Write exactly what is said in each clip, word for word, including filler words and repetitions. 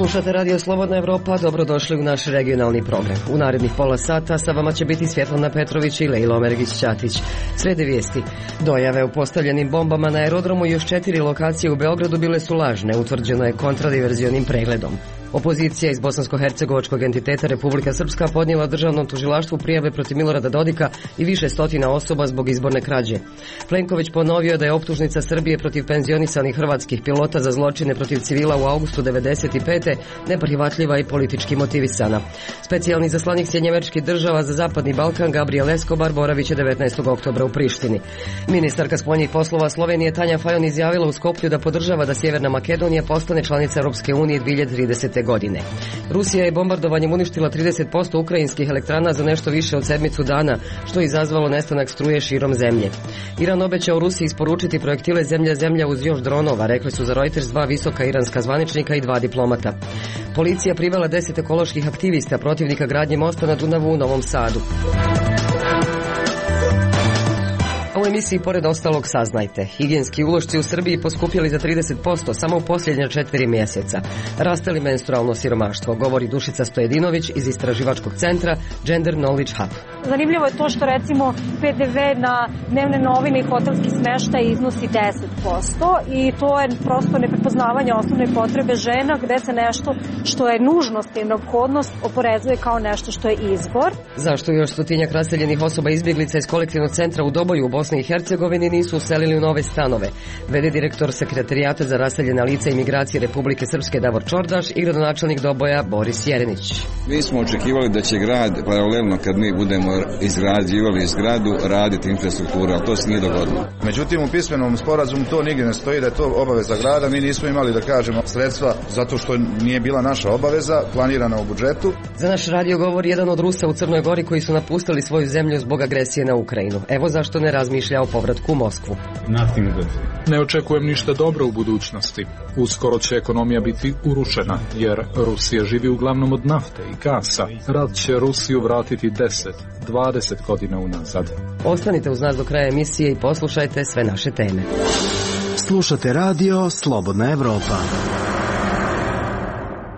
Slušate Radio Slobodna Evropa, dobrodošli u naš regionalni program. U narednih pola sata sa vama će biti Svjetlana Petrović i Lejla Omergić-Ćatić. Slijede vijesti. Dojave o postavljenim bombama na aerodromu i još četiri lokacije u Beogradu bile su lažne, utvrđeno je kontradiverzionim pregledom. Opozicija iz bosansko-hercegovačkog entiteta Republika Srpska podnijela državnom tužilaštvu prijave protiv Milorada Dodika i više stotina osoba zbog izborne krađe. Plenković ponovio da je optužnica Srbije protiv penzionisanih hrvatskih pilota za zločine protiv civila u avgustu devedeset pete neprihvatljiva i politički motivisana. Specijalni zaslanik Sjedinjenih Američkih Država za Zapadni Balkan Gabriel Escobar boravit će devetnaestog oktobra u Prištini. Ministarka spoljnih poslova Slovenije Tanja Fajon izjavila u Skoplju da podržava da Sjeverna Makedonija postane članica Europske unije dvije hiljade tridesete godine. Rusija je bombardovanjem uništila trideset posto ukrajinskih elektrana za nešto više od sedmicu dana, što je izazvalo nestanak struje širom zemlje. Iran obećao Rusiji isporučiti projektile zemlja-zemlja uz još dronova, rekli su za Reuters dva visoka iranska zvaničnika i dva diplomata. Policija privela deset ekoloških aktivista protivnika gradnje mosta na Dunavu u Novom Sadu. U emisiji pored ostalog saznajte. Higijenski ulošci u Srbiji poskupjeli za trideset posto samo u posljednja četiri mjeseca. Raste li menstrualno siromaštvo, govori Dušica Stojedinović iz istraživačkog centra Gender Knowledge Hub. Zanimljivo je to što recimo P D V na dnevne novine i hotelski smještaj iznosi deset posto i to je prosto neprepoznavanje osnovne potrebe žena gdje se nešto što je nužnost i neophodnost oporezuje kao nešto što je izbor. Zašto još stotinjak raseljenih osoba izbjeglica iz kolektivnog centra u Doboju u Bosni i Hercegovini nisu uselili u nove stanove? Vede direktor Sekretarijata za raseljena lica i migracije Republike Srpske Davor Čordaš i gradonačelnik Doboja Boris Jerenić. Mi smo očekivali da će grad paralelno kad mi budemo izgrađivali zgradu raditi infrastrukturu, ali to se nije dogodilo. Međutim, u pismenom sporazumu to nigdje ne stoji da je to obaveza grada. Mi nismo imali, da kažemo, sredstva zato što nije bila naša obaveza planirana u budžetu. Za naš radio govori jedan od Rusa u Crnoj Gori koji su napustili svoju zemlju zbog agresije na Ukrajinu. Evo zašto ne razmišlja o povratku u Moskvu. Ne očekujem ništa dobro u budućnosti. Uskoro će ekonomija biti urušena, jer Rusija živi uglavnom od nafte i gasa. Rat će Rusiju vratiti deset, dvadeset godina unazad. Ostanite uz nas do kraja emisije i poslušajte sve naše teme. Slušate radio Slobodna Evropa.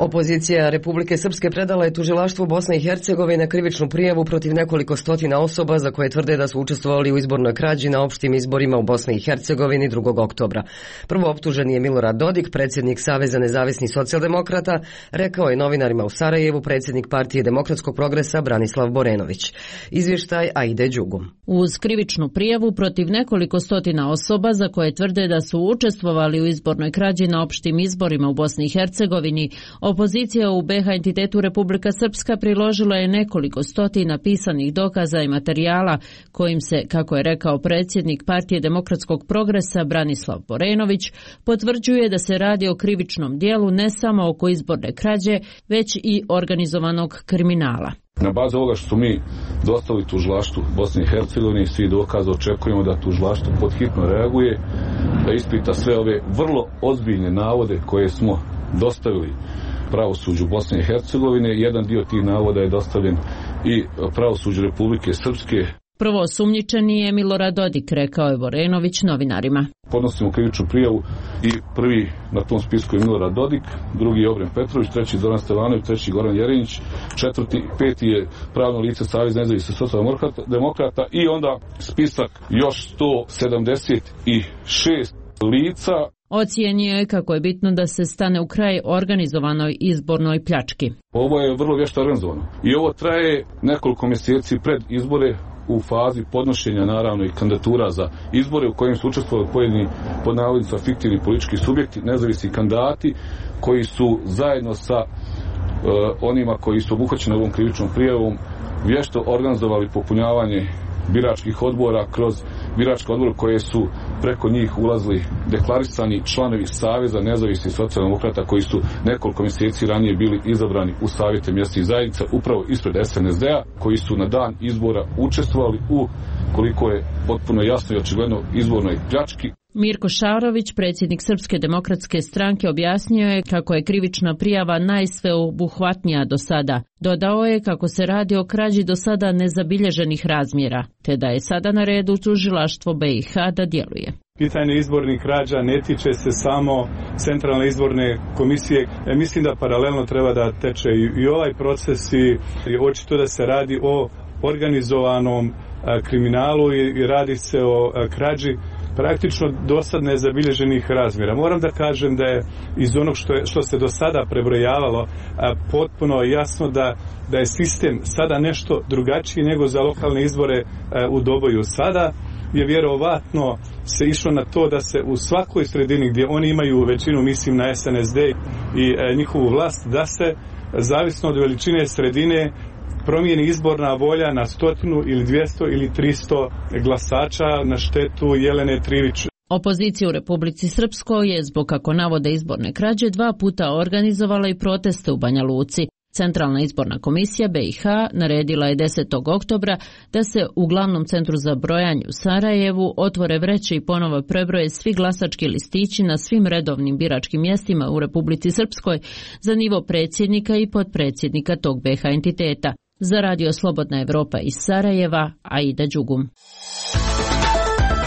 Opozicija Republike Srpske predala je tužilaštvu Bosne i Hercegovine krivičnu prijavu protiv nekoliko stotina osoba za koje tvrde da su učestvovali u izbornoj krađi na opštim izborima u Bosni i Hercegovini drugog oktobra. Prvo optuženi je Milorad Dodik, predsjednik Saveza nezavisnih socijaldemokrata, rekao je novinarima u Sarajevu predsjednik Partije demokratskog progresa Branislav Borenović. Izvještaj Aide Đugum. Uz krivičnu prijavu protiv nekoliko stotina osoba za koje tvrde da su učestvovali u izbornoj krađi na opštim izborima u Bosni i Hercegovini, opozicija u B H entitetu Republika Srpska priložila je nekoliko stotina pisanih dokaza i materijala kojim se, kako je rekao predsjednik Partije demokratskog progresa Branislav Borenović, potvrđuje da se radi o krivičnom dijelu ne samo oko izborne krađe, već i organizovanog kriminala. Na bazi ovoga što mi dostavili tužilaštvu Bosne i Hercegovine i svi dokaza očekujemo da tužilaštvo podhitno reaguje, da ispita sve ove vrlo ozbiljne navode koje smo dostavili pravosuđu Bosne i Hercegovine. Jedan dio tih navoda je dostavljen i pravosuđu Republike Srpske. Prvo osumnjičeni je Milorad Dodik, rekao je Borenović novinarima. Podnosimo krivičnu prijavu i prvi na tom spisku je Milorad Dodik, drugi je Obren Petrović, treći Zoran Stevanović, treći Goran Jerenić, četvrti, peti je pravno lice Savez nezavisnih socijaldemokrata i onda spisak još sto sedamdeset šest lica. Ocijenio je kako je bitno da se stane u kraj organizovanoj izbornoj pljački. Ovo je vrlo vješto organizovano i ovo traje nekoliko mjeseci pred izbore u fazi podnošenja naravno i kandidatura za izbore u kojim su učestvovali pojedini pod navodnicima fiktivni politički subjekti, nezavisni kandidati koji su zajedno sa uh, onima koji su obuhvaćeni ovom krivičnom prijavom vješto organizovali popunjavanje biračkih odbora kroz biračke odbore koje su preko njih ulazili deklarisani članovi Saveza nezavisnih socijaldemokrata koji su nekoliko mjeseci ranije bili izabrani u savjete mjesnih zajednica upravo ispred S N S D-a, koji su na dan izbora učestvovali u, koliko je potpuno jasno i očigledno, izbornoj pljački. Mirko Šarović, predsjednik Srpske demokratske stranke, objasnio je kako je krivična prijava najsveobuhvatnija do sada. Dodao je kako se radi o krađi do sada nezabilježenih razmjera, te da je sada na redu tužilaštvo B i H da djeluje. Pitanje izbornih krađa ne tiče se samo Centralne izborne komisije. E, mislim da paralelno treba da teče i, i ovaj proces i, i očito da se radi o organizovanom a, kriminalu i, i radi se o a, krađi praktično dosad nezabilježenih razmjera. Moram da kažem da je iz onog što, je, što se do sada prebrojavalo a, potpuno jasno da, da je sistem sada nešto drugačiji nego za lokalne izbore a, u Doboju. Sada je vjerovatno se išlo na to da se u svakoj sredini gdje oni imaju većinu, mislim na S N S D i e, njihovu vlast, da se zavisno od veličine sredine promijeni izborna volja na stotinu ili dvjesto ili tristo glasača na štetu Jelene Trivić. Opozicija u Republici Srpskoj je zbog, kako navode, izborne krađe dva puta organizovala i proteste u Banja Luci. Centralna izborna komisija B i H naredila je desetog oktobra da se u glavnom centru za brojanje u Sarajevu otvore vreće i ponovo prebroje svi glasački listići na svim redovnim biračkim mjestima u Republici Srpskoj za nivo predsjednika i potpredsjednika tog B H entiteta. Za Radio Slobodna Evropa iz Sarajeva, Aida Đugum.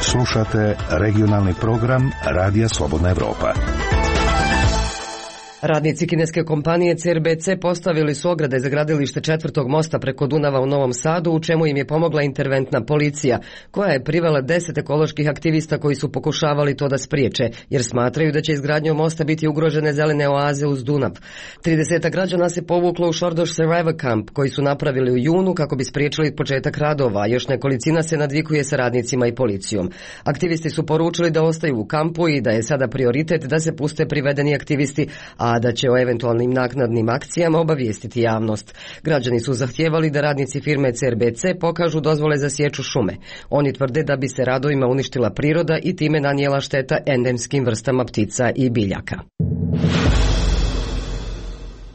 Slušate regionalni program Radija Slobodna Evropa. Radnici kineske kompanije C R B C postavili su ograde za gradilište četvrtog mosta preko Dunava u Novom Sadu, u čemu im je pomogla interventna policija, koja je privela deset ekoloških aktivista koji su pokušavali to da spriječe, jer smatraju da će izgradnjom mosta biti ugrožene zelene oaze uz Dunav. trideset građana se povuklo u Šordoš Survivor Camp, koji su napravili u junu kako bi spriječili početak radova, a još nekolicina se nadvikuje sa radnicima i policijom. Aktivisti su poručili da ostaju u kampu i da je sada prioritet da se puste privedeni aktivisti, a da će o eventualnim naknadnim akcijama obavijestiti javnost. Građani su zahtijevali da radnici firme C R B C pokažu dozvole za sječu šume. Oni tvrde da bi se radovima uništila priroda i time nanijela šteta endemskim vrstama ptica i biljaka.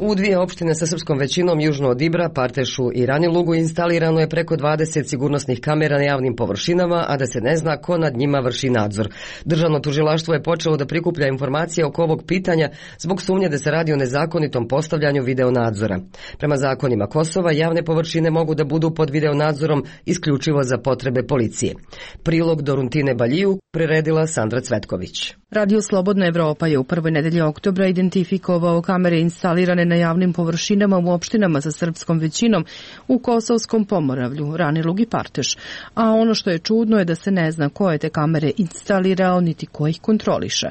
U dvije opštine sa srpskom većinom južno od Ibra, Partešu i Ranilugu instalirano je preko dvadeset sigurnosnih kamera na javnim površinama, a da se ne zna ko nad njima vrši nadzor. Državno tužilaštvo je počelo da prikuplja informacije oko ovog pitanja zbog sumnje da se radi o nezakonitom postavljanju videonadzora. Prema zakonima Kosova, javne površine mogu da budu pod videonadzorom isključivo za potrebe policije. Prilog Doruntine Baljiju priredila Sandra Cvetković. Radio Slobodna Evropa je u prvoj nedelji oktobra identifikovao kamere instalirane na javnim površinama u opštinama sa srpskom većinom u Kosovskom Pomoravlju, Ranilug i Parteš. A ono što je čudno je da se ne zna ko je te kamere instalirao niti ko ih kontroliše.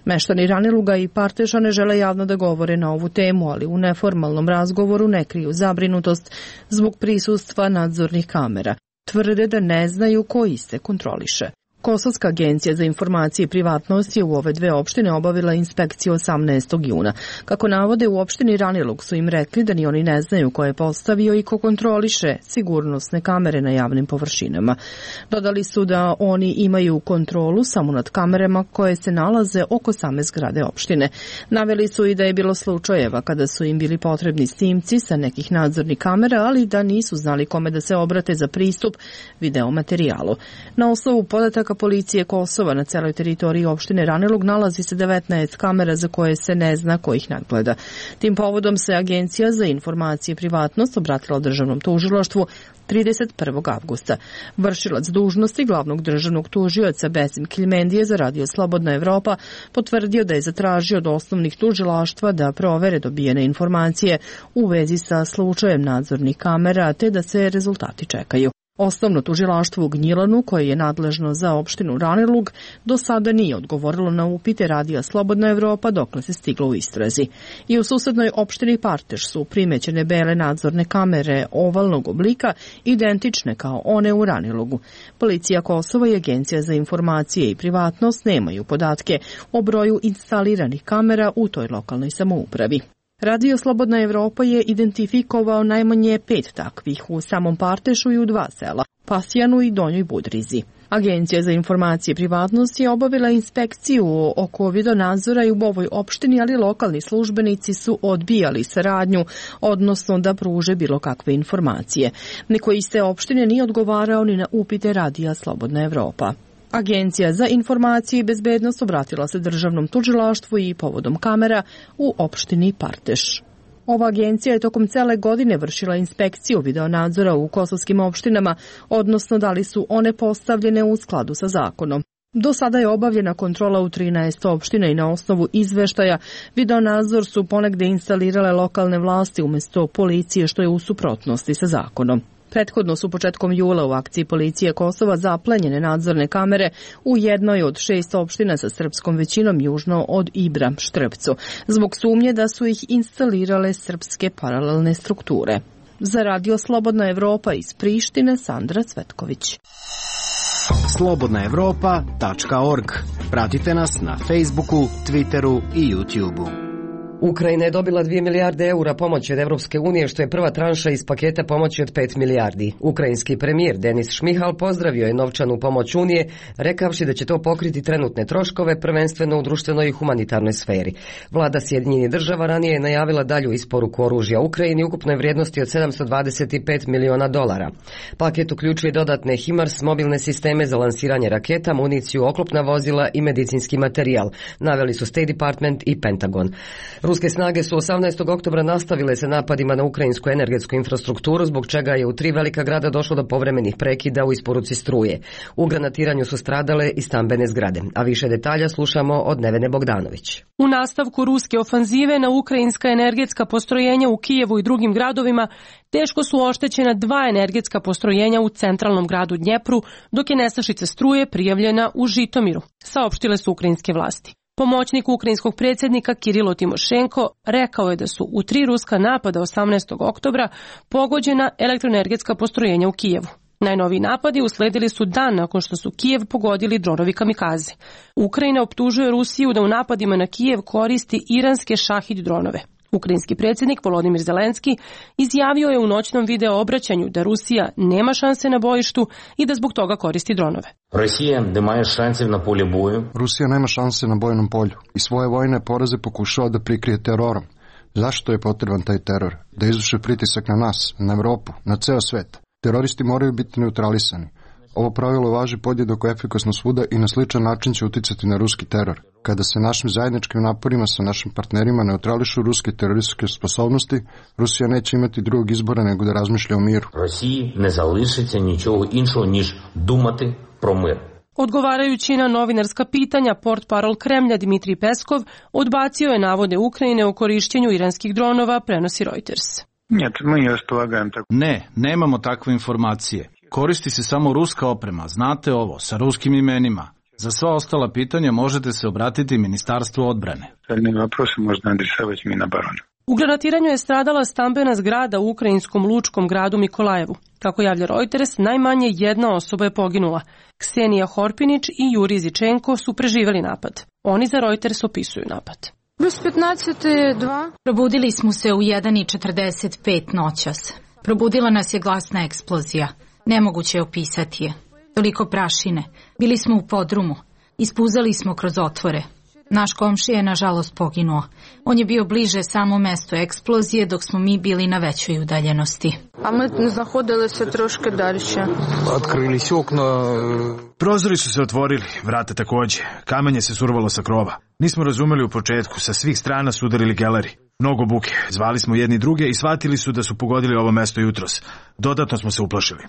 Meštani Raniluga i Parteša ne žele javno da govore na ovu temu, ali u neformalnom razgovoru ne kriju zabrinutost zbog prisustva nadzornih kamera. Tvrde da ne znaju ko iste kontroliše. Kosovska agencija za informacije i privatnost je u ove dve opštine obavila inspekciju osamnaestog juna. Kako navode, u opštini Ranilug su im rekli da ni oni ne znaju ko je postavio i ko kontroliše sigurnosne kamere na javnim površinama. Dodali su da oni imaju kontrolu samo nad kamerama koje se nalaze oko same zgrade opštine. Naveli su i da je bilo slučajeva kada su im bili potrebni snimci sa nekih nadzornih kamera, ali da nisu znali kome da se obrate za pristup videomaterijalu. Na osnovu podataka policije Kosova na celoj teritoriji opštine Ranilug nalazi se devetnaest kamera za koje se ne zna ko ih nadgleda. Tim povodom se Agencija za informacije i privatnost obratila državnom tužilaštvu trideset prvog avgusta. Vršilac dužnosti glavnog državnog tužioca Besim Kiljmendije za Radio Slobodna Evropa potvrdio da je zatražio od osnovnih tužilaštva da provere dobijene informacije u vezi sa slučajem nadzornih kamera, te da se rezultati čekaju. Osnovno tužilaštvo u Gnjilanu, koje je nadležno za opštinu Ranilug, do sada nije odgovorilo na upite Radija Slobodna Evropa dokle se stiglo u istrazi. I u susednoj opštini Parteš su primećene bele nadzorne kamere ovalnog oblika, identične kao one u Ranilugu. Policija Kosova i Agencija za informacije i privatnost nemaju podatke o broju instaliranih kamera u toj lokalnoj samoupravi. Radio Slobodna Evropa je identifikovao najmanje pet takvih u samom Partešu i u dva sela, Pasjanu i Donjoj Budrizi. Agencija za informacije i privatnost je obavila inspekciju oko videonadzora i u ovoj opštini, ali lokalni službenici su odbijali saradnju, odnosno da pruže bilo kakve informacije. Niko iz te opštine nije odgovarao ni na upite Radija Slobodna Evropa. Agencija za informacije i bezbednost obratila se državnom tužilaštvu i povodom kamera u opštini Parteš. Ova agencija je tokom cele godine vršila inspekciju videonadzora u kosovskim opštinama, odnosno da li su one postavljene u skladu sa zakonom. Do sada je obavljena kontrola u trinaest opština i na osnovu izveštaja videonadzor su ponegde instalirale lokalne vlasti umjesto policije, što je u suprotnosti sa zakonom. Prethodno su početkom jula u akciji policije Kosova zaplenjene nadzorne kamere u jednoj od šest opština sa srpskom većinom južno od Ibra, Štrpcu, zbog sumnje da su ih instalirale srpske paralelne strukture. Za Radio Slobodna Evropa iz Prištine, Sandra Cvetković. slobodna evropa tačka org. Pratite nas na Facebooku, Twitteru i YouTubeu. Ukrajina je dobila dvije milijarde eura pomoći od Evropske unije, što je prva tranša iz paketa pomoći od pet milijardi. Ukrajinski premijer Denis Šmihal pozdravio je novčanu pomoć Unije, rekavši da će to pokriti trenutne troškove, prvenstveno u društvenoj i humanitarnoj sferi. Vlada Sjedinjenih država ranije je najavila dalju isporuku oružja Ukrajini ukupnoj vrijednosti od sedamsto dvadeset pet miliona dolara. Paket uključuje dodatne HIMARS, mobilne sisteme za lansiranje raketa, municiju, oklopna vozila i medicinski materijal, naveli su State Department i Pentagon. Ruske snage su osamnaestog oktobra nastavile sa napadima na ukrajinsku energetsku infrastrukturu, zbog čega je u tri velika grada došlo do povremenih prekida u isporuci struje. U granatiranju su stradale i stambene zgrade, a više detalja slušamo od Nevene Bogdanović. U nastavku ruske ofanzive na ukrajinska energetska postrojenja u Kijevu i drugim gradovima teško su oštećena dva energetska postrojenja u centralnom gradu Dnjepru, dok je nestašica struje prijavljena u Žitomiru, saopštile su ukrajinske vlasti. Pomoćnik ukrajinskog predsjednika Kirilo Timošenko rekao je da su u tri ruska napada osamnaestog oktobra pogođena elektroenergetska postrojenja u Kijevu. Najnoviji napadi usledili su dan nakon što su Kijev pogodili dronovi kamikaze. Ukrajina optužuje Rusiju da u napadima na Kijev koristi iranske šahid dronove. Ukrajinski predsjednik Volodimir Zelenski izjavio je u noćnom video obraćanju da Rusija nema šanse na bojištu i da zbog toga koristi dronove. Rusija nema šanse na polju boju. Rusija nema šanse na bojnom polju i svoje vojne poraze pokušava da prikrije terorom. Zašto je potreban taj teror? Da izvrše pritisak na nas, na Evropu, na ceo svet. Teroristi moraju biti neutralisani. Ovo pravilo važi podjednako efikasno svuda i na sličan način će uticati na ruski teror. Kada se našim zajedničkim naporima sa našim partnerima neutrališu ruske terorističke sposobnosti, Rusija neće imati drugog izbora nego da razmišlja o miru. Rusiji ne залишиться нічого іншого, ніж думати про мир. Odgovarajući na novinarska pitanja, portparol Kremlja Dmitrij Peskov odbacio je navode Ukrajine o korišćenju iranskih dronova, prenosi Reuters. Ne, nemamo takve informacije. Koristi se samo ruska oprema, znate ovo, sa ruskim imenima. Za sva ostala pitanja možete se obratiti Ministarstvu odbrane. U granatiranju je stradala stambena zgrada u ukrajinskom lučkom gradu Mikolajevu. Kako javlja Reuters, najmanje jedna osoba je poginula. Ksenija Horpinić i Juri Zičenko su preživjeli napad. Oni za Reuters opisuju napad. Probudili smo se u jedan i četrdeset pet noćas. Probudila nas je glasna eksplozija. Nemoguće je opisati je. Toliko prašine. Bili smo u podrumu. Ispuzali smo kroz otvore. Naš komšija je nažalost poginuo. On je bio bliže samo mestu eksplozije, dok smo mi bili na većoj udaljenosti. A mi znahodili se troške dalje. Otkrili su okno. Prozori su se otvorili, vrata takođe. Kamenje se survalo sa krova. Nismo razumeli u početku, sa svih strana su udarili geleri. Mnogo buke, zvali smo jedni druge i shvatili su da su pogodili ovo mesto jutros. Dodatno smo se uplašili.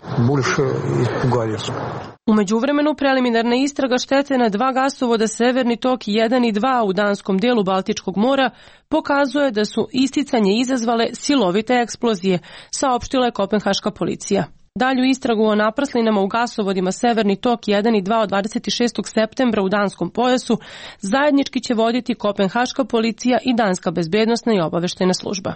U međuvremenu preliminarna istraga štete na dva gasovoda Severni tok jedan i dva u danskom delu Baltičkog mora pokazuje da su isticanje izazvale silovite eksplozije, saopštila je kopenhaška policija. Dalju istragu o naprslinama u gasovodima Severni tok jedan i dva od dvadeset šestog septembra u danskom pojasu zajednički će voditi kopenhaška policija i danska bezbednosna i obaveštajna služba.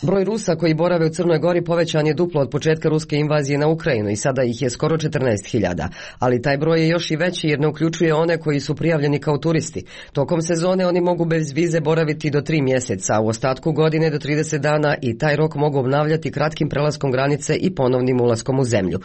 Broj Rusa koji borave u Crnoj Gori povećan je duplo od početka ruske invazije na Ukrajinu i sada ih je skoro četrnaest hiljada. Ali taj broj je još i veći jer ne uključuje one koji su prijavljeni kao turisti. Tokom sezone oni mogu bez vize boraviti do tri mjeseca, u ostatku godine do trideset dana i taj rok mogu obnavljati kratkim prelaskom granice i ponovnim ulaskom u zemlju.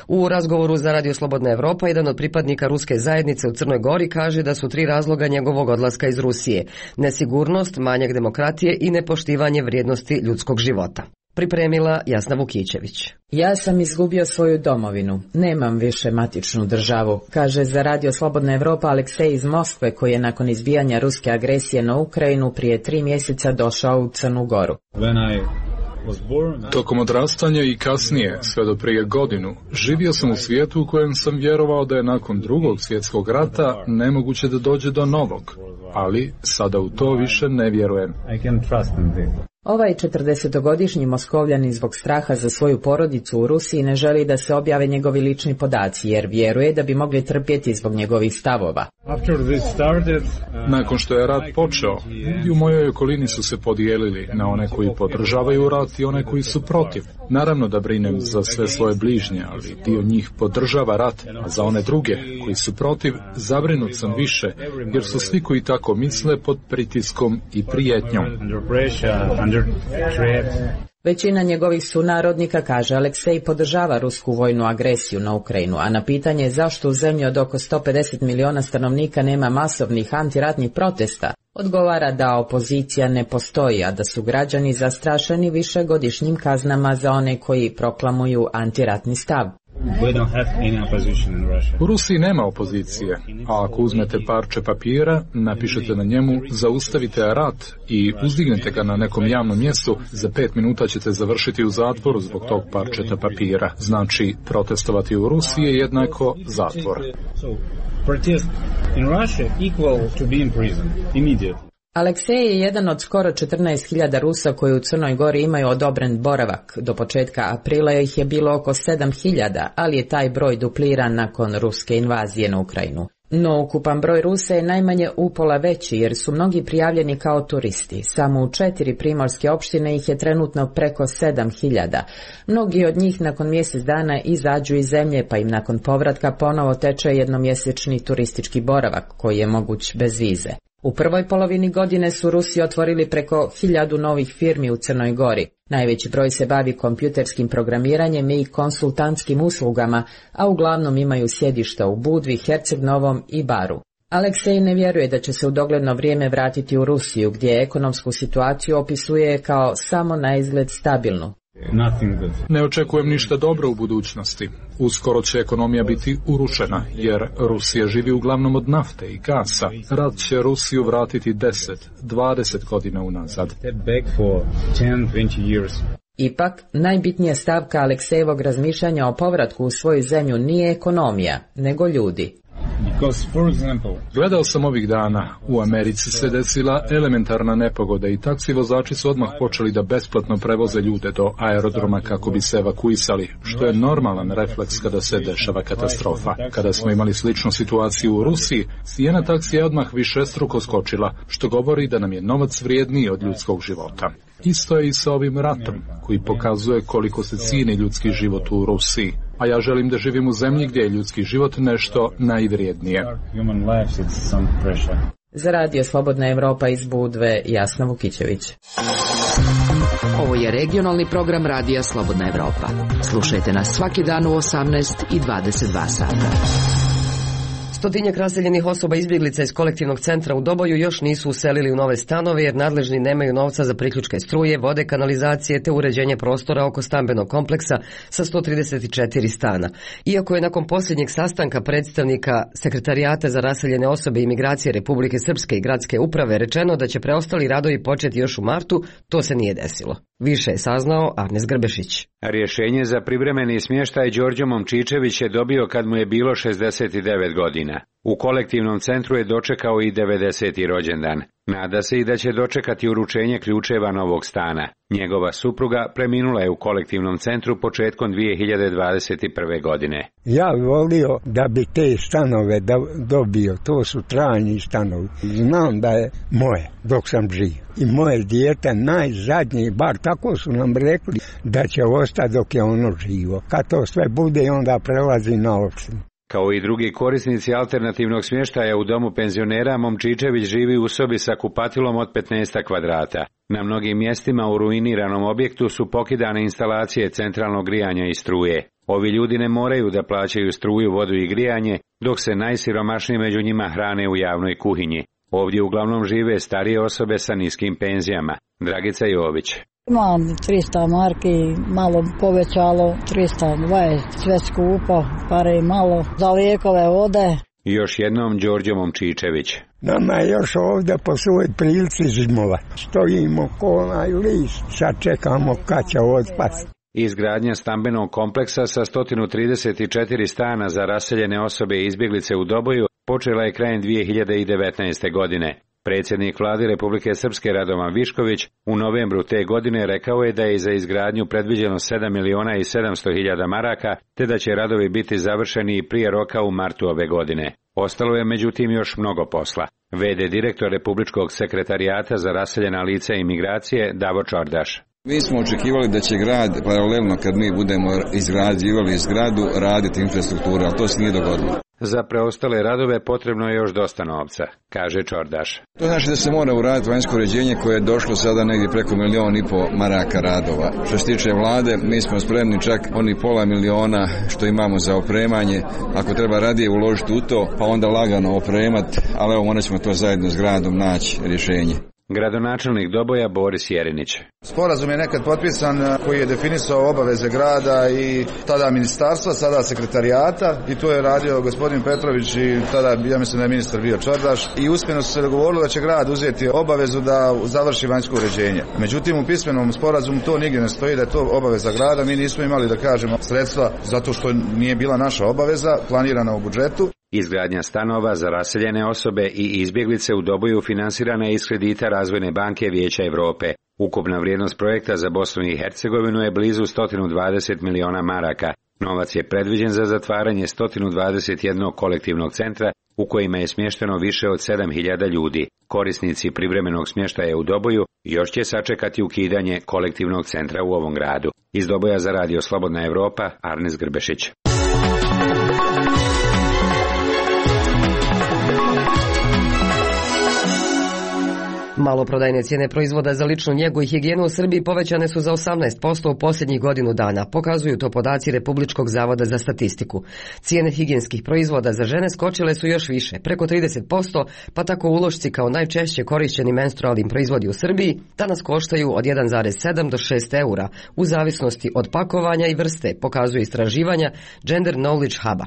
U razgovoru za Radio Slobodna Evropa jedan od pripadnika ruske zajednice u Crnoj Gori kaže da su tri razloga njegovog odlaska iz Rusije: nesigurnost, manjak demokratije i nepoštivanje vrijednosti ljudskog života. Pripremila Jasna Vukićević. Ja sam izgubio svoju domovinu. Nemam više matičnu državu, kaže za Radio Slobodna Evropa Aleksej iz Moskve, koji je nakon izbijanja ruske agresije na Ukrajinu prije tri mjeseca došao u Crnu Goru. Tokom odrastanja i kasnije, sve do prije godinu, živio sam u svijetu u kojem sam vjerovao da je nakon drugog svjetskog rata nemoguće da dođe do novog, ali sada u to više ne vjerujem. Ovaj četrdesetogodišnji Moskovljanin zbog straha za svoju porodicu u Rusiji ne želi da se objave njegovi lični podaci, jer vjeruje da bi mogli trpjeti zbog njegovih stavova. Nakon što je rat počeo, ljudi u mojoj okolini su se podijelili na one koji podržavaju rat i one koji su protiv. Naravno da brinem za sve svoje bližnje, ali dio njih podržava rat, a za one druge koji su protiv, zabrinut sam više, jer su svi koji tako misle pod pritiskom i prijetnjom. Većina njegovih sunarodnika, kaže Aleksej, podržava rusku vojnu agresiju na Ukrajinu, a na pitanje zašto u zemlji od oko sto pedeset miliona stanovnika nema masovnih antiratnih protesta, odgovara da opozicija ne postoji, a da su građani zastrašeni višegodišnjim kaznama za one koji proklamuju antiratni stav. U Rusiji nema opozicije, a ako uzmete parče papira, napišete na njemu zaustavite rat i uzdignete ga na nekom javnom mjestu, za pet minuta ćete završiti u zatvoru zbog tog parčeta papira. Znači, protestovati u Rusiji je jednako zatvor. Aleksej je jedan od skoro četrnaest hiljada Rusa koji u Crnoj Gori imaju odobren boravak. Do početka aprila ih je bilo oko sedam hiljada, ali je taj broj dupliran nakon ruske invazije na Ukrajinu. No ukupan broj Rusa je najmanje upola veći jer su mnogi prijavljeni kao turisti. Samo u četiri primorske opštine ih je trenutno preko sedam hiljada. Mnogi od njih nakon mjesec dana izađu iz zemlje, pa im nakon povratka ponovo teče jednomjesečni turistički boravak koji je moguć bez vize. U prvoj polovini godine su Rusi otvorili preko hiljadu novih firmi u Crnoj Gori. Najveći broj se bavi kompjuterskim programiranjem i konsultantskim uslugama, a uglavnom imaju sjedišta u Budvi, Herceg Novom i Baru. Aleksej ne vjeruje da će se u dogledno vrijeme vratiti u Rusiju, gdje ekonomsku situaciju opisuje kao samo na izgled stabilnu. Ne očekujem ništa dobro u budućnosti. Uskoro će ekonomija biti urušena, jer Rusija živi uglavnom od nafte i gasa. Rat će Rusiju vratiti deset, dvadeset godina unazad. Ipak, najbitnija stavka Aleksejevog razmišljanja o povratku u svoju zemlju nije ekonomija, nego ljudi. Gledao sam ovih dana, u Americi se desila elementarna nepogoda i taksi vozači su odmah počeli da besplatno prevoze ljude do aerodroma kako bi se evakuisali, što je normalan refleks kada se dešava katastrofa. Kada smo imali sličnu situaciju u Rusiji, cijena taksija je odmah višestruko skočila, što govori da nam je novac vrijedniji od ljudskog života. Isto je i sa ovim ratom, koji pokazuje koliko se cijeni ljudski život u Rusiji. A ja želim da živim u zemlji gdje je ljudski život nešto najvrijednije. Za Radio Slobodna Evropa iz Budve, Jasna Vukićević. Ovo je regionalni program Radija Slobodna Evropa. Slušajte nas svaki dan u osamnaest i dvadeset dva sata. Stotinjak raseljenih osoba izbjeglica iz kolektivnog centra u Doboju još nisu uselili u nove stanove jer nadležni nemaju novca za priključke struje, vode, kanalizacije te uređenje prostora oko stambenog kompleksa sa sto trideset četiri stana. Iako je nakon posljednjeg sastanka predstavnika Sekretarijata za raseljene osobe i migracije Republike Srpske i gradske uprave rečeno da će preostali radovi početi još u martu, to se nije desilo. Više je saznao Arnes Grbešić. Rješenje za privremeni smještaj Đorđe Momčičević je dobio kad mu je bilo šezdeset devet godina. U kolektivnom centru je dočekao i devedeseti rođendan. Nada se i da će dočekati uručenje ključeva novog stana. Njegova supruga preminula je u kolektivnom centru početkom dvije hiljade dvadeset prve. godine. Ja volio da bi te stanove da dobio, to su trajni stanovi. Znam da je moje dok sam živ. I moje dijete najzadnji, bar tako su nam rekli, da će ostati dok je ono živo. Kad to sve bude, onda prelazi na opštinu. Kao i drugi korisnici alternativnog smještaja u domu penzionera, Momčičević živi u sobi sa kupatilom od petnaest kvadrata. Na mnogim mjestima u ruiniranom objektu su pokidane instalacije centralnog grijanja i struje. Ovi ljudi ne moraju da plaćaju struju, vodu i grijanje, dok se najsiromašniji među njima hrane u javnoj kuhinji. Ovdje uglavnom žive starije osobe sa niskim penzijama. Dragica Jović. Imam trista marki, malo povećalo, trista dvadeset, sve skupo, pare i malo, za lijekove ode. I još jednom Đorđe Momčičević. Nama je još ovdje po svoj prilici zimova. Stojimo ko onaj list, sad čekamo kad će otpasti. Izgradnja stambenog kompleksa sa sto trideset četiri stana za raseljene osobe i izbjeglice u Doboju počela je krajem dvije hiljade devetnaeste. godine. Predsjednik vlade Republike Srpske Radovan Višković u novembru te godine rekao je da je za izgradnju predviđeno sedam miliona i sedamsto hiljada maraka, te da će radovi biti završeni prije roka u martu ove godine. Ostalo je međutim još mnogo posla. V D direktor Republičkog sekretarijata za raseljena lica i migracije Davor Čordaš. Mi smo očekivali da će grad paralelno kad mi budemo izgrađivali zgradu raditi infrastrukturu, ali to se nije dogodilo. Za preostale radove potrebno je još dosta novca, kaže Čordaš. To znači da se mora uraditi vanjsko uređenje koje je došlo sada negdje preko milion i po maraka radova. Što se tiče vlade, mi smo spremni čak oni pola miliona što imamo za opremanje. Ako treba radije uložiti u to, pa onda lagano opremati, ali evo morat ćemo to zajedno s gradom naći rješenje. Gradonačelnik Doboja Boris Jerinić. Sporazum je nekad potpisan koji je definisao obaveze grada i tada ministarstva, sada sekretarijata i to je radio gospodin Petrović i tada ja mislim da je ministar bio Čordaš i uspjeno su se dogovorili da će grad uzeti obavezu da završi vanjsko uređenje. Međutim u pismenom sporazumu to nigdje ne stoji da je to obaveza grada, mi nismo imali da kažemo sredstva zato što nije bila naša obaveza planirana u budžetu. Izgradnja stanova za raseljene osobe i izbjeglice u Doboju finansirana je iz kredita Razvojne banke Vijeća Europe. Ukupna vrijednost projekta za Bosnu i Hercegovinu je blizu sto dvadeset miliona maraka. Novac je predviđen za zatvaranje sto dvadeset jednog kolektivnog centra u kojima je smješteno više od sedam hiljada ljudi. Korisnici privremenog smještaja u Doboju još će sačekati ukidanje kolektivnog centra u ovom gradu. Iz Doboja za Radio Slobodna Evropa, Arnes Grbešić. Maloprodajne cijene proizvoda za ličnu njegu i higijenu u Srbiji povećane su za osamnaest posto u posljednjih godinu dana, pokazuju to podaci Republičkog zavoda za statistiku. Cijene higijenskih proizvoda za žene skočile su još više, preko trideset posto, pa tako ulošci kao najčešće korišćeni menstrualni proizvodi u Srbiji danas koštaju od jedan zarez sedam do šest eura, u zavisnosti od pakovanja i vrste, pokazuje istraživanja Gender Knowledge Huba.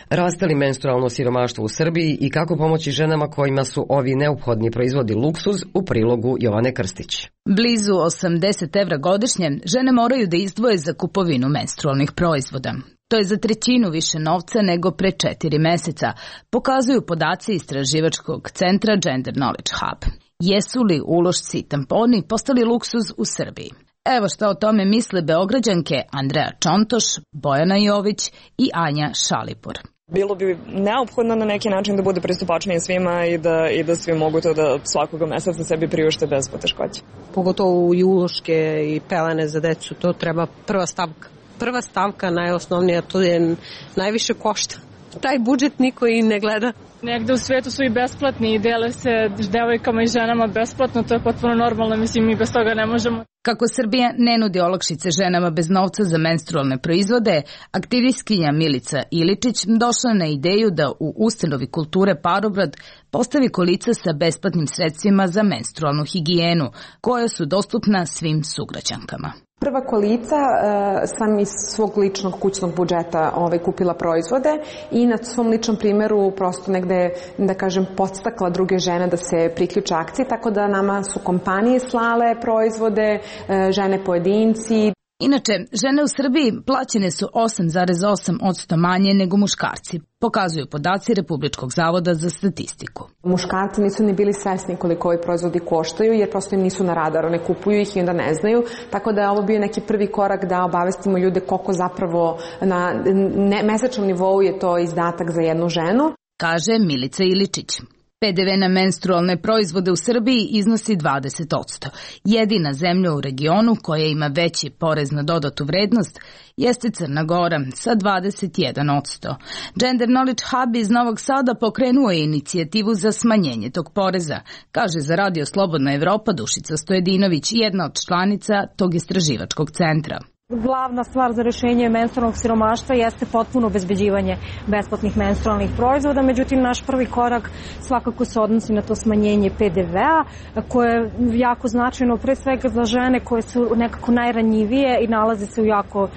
Raste li menstrualno siromaštvo u Srbiji i kako pomoći ženama kojima su ovi neophodni proizvodi luksuz, u prilogu Jovane Krstić. Blizu osamdeset evra godišnje žene moraju da izdvoje za kupovinu menstrualnih proizvoda. To je za trećinu više novca nego pre četiri meseca, pokazuju podaci istraživačkog centra Gender Knowledge Hub. Jesu li ulošci i tamponi postali luksuz u Srbiji? Evo šta o tome misle Beograđanke Andreja Čontoš, Bojana Jović i Anja Šalipur. Bilo bi neophodno na neki način da bude pristupačnije svima i da, i da svi mogu to da svakoga meseca sebi priušte bez poteškoća. Pogotovo i uloške i pelene za decu, to treba prva stavka. Prva stavka, najosnovnija, to je najviše košta. Taj budžet niko i ne gleda. Negde u svijetu su i besplatni i dele se devojkama i ženama besplatno, to je potpuno normalno, mislim mi bez toga ne možemo. Kako Srbija ne nudi olakšice ženama bez novca za menstrualne proizvode, aktivistkinja Milica Iličić došla na ideju da u ustanovi kulture Parobrad postavi kolica sa besplatnim sredstvima za menstrualnu higijenu, koja su dostupna svim sugrađankama. Prva kolica e, sam iz svog ličnog kućnog budžeta ovaj, kupila proizvode i na svom ličnom primjeru prosto negde, da kažem, podstakla druge žene da se priključe akciji, tako da nama su kompanije slale proizvode, e, žene pojedinci. Inače, žene u Srbiji plaćene su osam zarez osam posto manje nego muškarci, pokazuju podaci Republičkog zavoda za statistiku. Muškarci nisu ni bili svesni koliko ovi proizvodi koštaju, jer prosto im nisu na radaru, ne kupuju ih i onda ne znaju, tako da je ovo bio neki prvi korak da obavestimo ljude koliko zapravo na ne, mesečnom nivou je to izdatak za jednu ženu. Kaže Milica Iličić. P D V na menstrualne proizvode u Srbiji iznosi dvadeset posto. Jedina zemlja u regionu koja ima veći porez na dodatu vrednost jeste Crna Gora sa dvadeset jedan posto. Gender Knowledge Hub iz Novog Sada pokrenuo je inicijativu za smanjenje tog poreza, kaže za Radio Slobodna Evropa Dušica Stojedinović, jedna od članica tog istraživačkog centra. Glavna stvar za rešenje menstrualnog siromaštva jeste potpuno obezbeđivanje besplatnih menstrualnih proizvoda, međutim naš prvi korak svakako se odnosi na to smanjenje pe de vea koje je jako značajno pre svega za žene koje su nekako najranjivije i nalaze se u jako uh,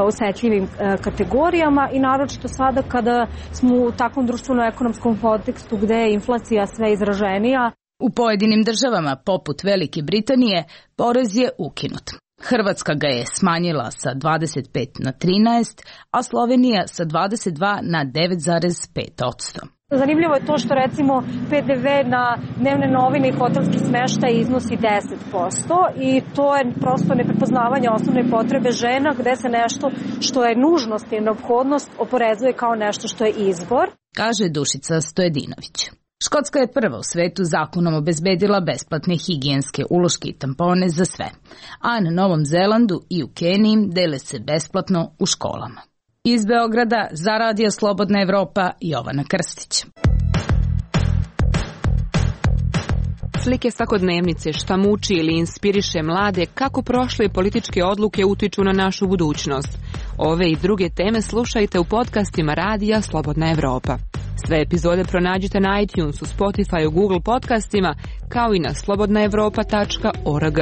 osetljivim uh, kategorijama i naročito sada kada smo u takvom društveno-ekonomskom kontekstu gde je inflacija sve izraženija. U pojedinim državama, poput Velike Britanije, porez je ukinut. Hrvatska ga je smanjila sa dvadeset pet na trinaest, a Slovenija sa dvadeset dva na devet zarez pet posto. Zanimljivo je to što recimo pe de ve na dnevne novine i hotelski smeštaj iznosi deset posto i to je prosto neprepoznavanje osnovne potrebe žena gde se nešto što je nužnost i neophodnost oporezuje kao nešto što je izbor. Kaže Dušica Stojedinović. Škotska je prva u svetu zakonom obezbedila besplatne higijenske uloške i tampone za sve, a na Novom Zelandu i u Keniji dele se besplatno u školama. Iz Beograda za Radio Slobodna Evropa, Jovana Krstić. Slike svakodnevnice, šta muči ili inspiriše mlade, kako prošle političke odluke utiču na našu budućnost. Ove i druge teme slušajte u podcastima Radija Slobodna Evropa. Sve epizode pronađite na iTunesu, Spotifyu, Google podcastima, kao i na slobodna evropa tačka org.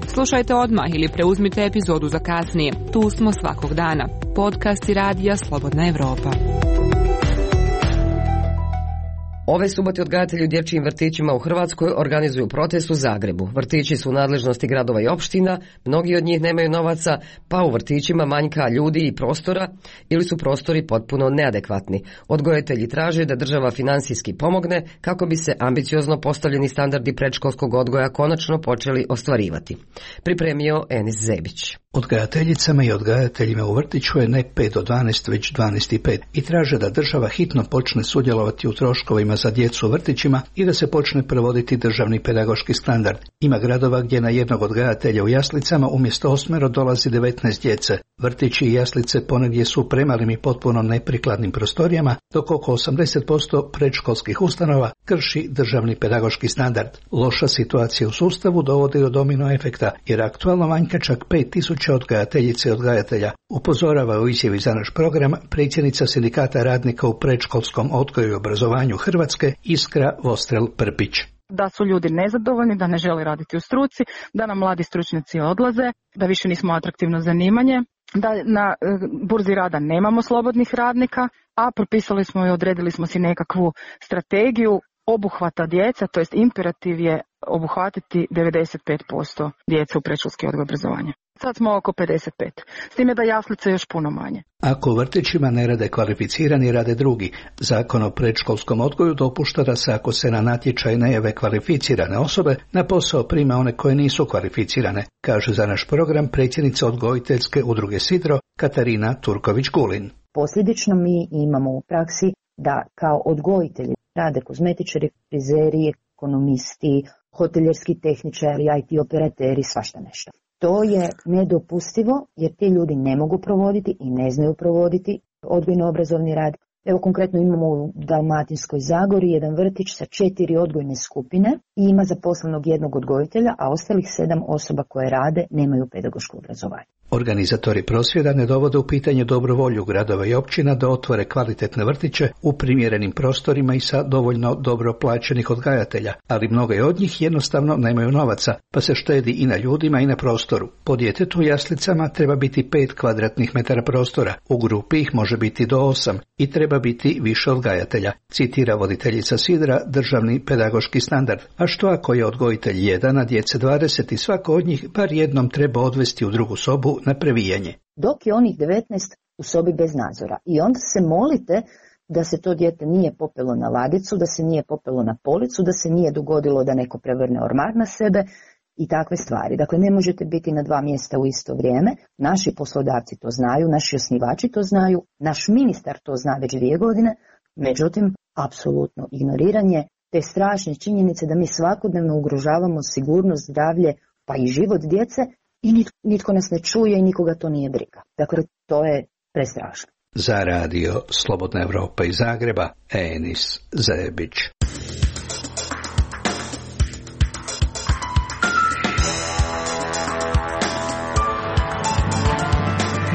Slušajte odmah ili preuzmite epizodu za kasnije. Tu smo svakog dana. Podcasti Radija Slobodna Evropa. Ove subote odgajatelji u dječjim vrtićima u Hrvatskoj organizuju protest u Zagrebu. Vrtići su u nadležnosti gradova i opština, mnogi od njih nemaju novaca, pa u vrtićima manjka ljudi i prostora ili su prostori potpuno neadekvatni. Odgojitelji traže da država finansijski pomogne kako bi se ambiciozno postavljeni standardi predškolskog odgoja konačno počeli ostvarivati. Pripremio Enis Zebić. Odgajateljicama i odgajateljima u vrtiću je ne pet do dvanaest, već dvanaest i pet i traže da država hitno počne sudjelovati u troškovima za djecu u vrtićima i da se počne provoditi državni pedagoški standard. Ima gradova gdje na jednog odgajatelja u jaslicama umjesto osmero dolazi devetnaest djece. Vrtići i jaslice ponegdje su premalim i potpuno neprikladnim prostorijama, dok oko osamdeset posto predškolskih ustanova krši državni pedagoški standard. Loša situacija u sustavu dovodi do domino efekta, jer aktualno manjka čak pet tisuća odgajateljice i odgajatelja. Upozorava u izjavi za naš program predsjednica Sindikata radnika u predškolskom odgoju i obrazovanju Hrvatske Iskra Vostrel-Prpić. Da su ljudi nezadovoljni, da ne žele raditi u struci, da nam mladi stručnjaci odlaze, da više nismo atraktivno zanimanje, da na burzi rada nemamo slobodnih radnika, a propisali smo i odredili smo si nekakvu strategiju obuhvata djeca, to jest imperativ je obuhvatiti devedeset pet posto djece u predškolski odgoj i obrazovanje. Sad smo oko pedeset pet, s time da jaslice još puno manje. Ako u vrtićima ne rade kvalificirani, rade drugi. Zakon o predškolskom odgoju dopušta da se ako se na natječaj ne jave kvalificirane osobe, na posao prima one koje nisu kvalificirane, kaže za naš program predsjednica odgojiteljske udruge Sidro Katarina Turković-Gulin. Posljedično mi imamo u praksi da kao odgojitelji rade kozmetičari, frizeri, ekonomisti, hoteljerski tehničari, i te operateri, svašta nešto. To je nedopustivo jer ti ljudi ne mogu provoditi i ne znaju provoditi odgojno-obrazovni rad. Evo konkretno imamo u Dalmatinskoj Zagori jedan vrtić sa četiri odgojne skupine i ima zaposlenog jednog odgojitelja, a ostalih sedam osoba koje rade nemaju pedagoško obrazovanje. Organizatori prosvjeda ne dovode u pitanje dobrovolju gradova i općina da otvore kvalitetne vrtiće u primjerenim prostorima i sa dovoljno dobro plaćenih odgajatelja, ali mnoge od njih jednostavno nemaju novaca, pa se štedi i na ljudima i na prostoru. Po djetetu u jaslicama treba biti pet kvadratnih metara prostora, u grupi ih može biti do osam i treba biti više odgajatelja, citira voditeljica Sidra državni pedagoški standard. A što ako je odgojitelj jedan, a djece dvadeset i svako od njih bar jednom treba odvesti u drugu sobu na previjanje? Dok je onih devetnaest u sobi bez nadzora. I onda se molite da se to dijete nije popelo na ladicu, da se nije popelo na policu, da se nije dogodilo da neko prevrne ormar na sebe i takve stvari. Dakle, ne možete biti na dva mjesta u isto vrijeme. Naši poslodavci to znaju, naši osnivači to znaju, naš ministar to zna već dvije godine. Međutim, apsolutno ignoriranje te strašne činjenice da mi svakodnevno ugrožavamo sigurnost, zdravlje pa i život djece i nitko, nitko nas ne čuje i nikoga to nije briga. Dakle, to je prestrašno. Za radio Slobodna Evropa iz Zagreba, Enis Zebić.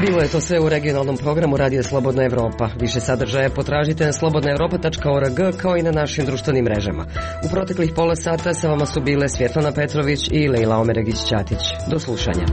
Bilo je to sve u regionalnom programu Radija Slobodna Evropa. Više sadržaja potražite na slobodna europa tačka org kao i na našim društvenim mrežama. U proteklih pola sata sa vama su bile Svjetlana Petrović i Lejla Omeregić-Ćatić. Do slušanja.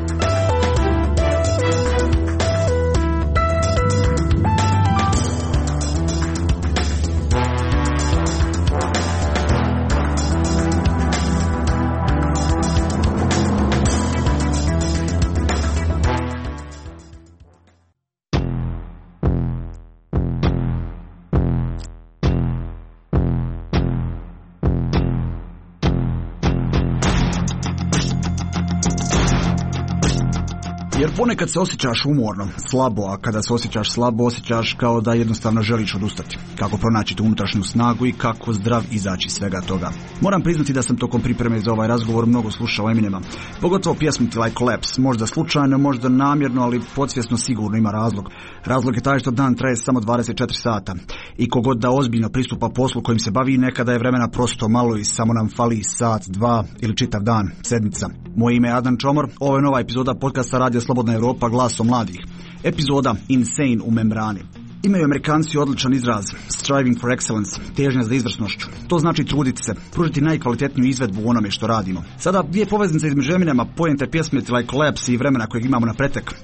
Jer ponekad se osjećaš umorno, slabo, a kada se osjećaš slabo, osjećaš kao da jednostavno želiš odustati. Kako pronaći tu unutrašnju snagu i kako zdrav izaći svega toga. Moram priznati da sam tokom pripreme za ovaj razgovor mnogo slušao Eminema. Pogotovo pjesmu Till I Collapse, možda slučajno, možda namjerno, ali podsvjesno sigurno ima razlog. Razlog je taj što dan traje samo dvadeset četiri sata. I kogod da ozbiljno pristupa poslu kojim se bavi, nekada je vremena prosto malo i samo nam fali sat, dva ili čitav dan, sedmica. Moje ime je Adnan Čomor, ovo je nova epizoda podcasta Radija Slobodna Evropa, glasom mladih. Epizoda Insane u membrani. Imaju Amerikanci odličan izraz, striving for excellence, težnja za izvrsnošću. To znači truditi se, pružiti najkvalitetniju izvedbu u onome što radimo. Sada dvije poveznice između Eminema, poente pjesme Till I Collapse i vremena kojeg imamo na pretek,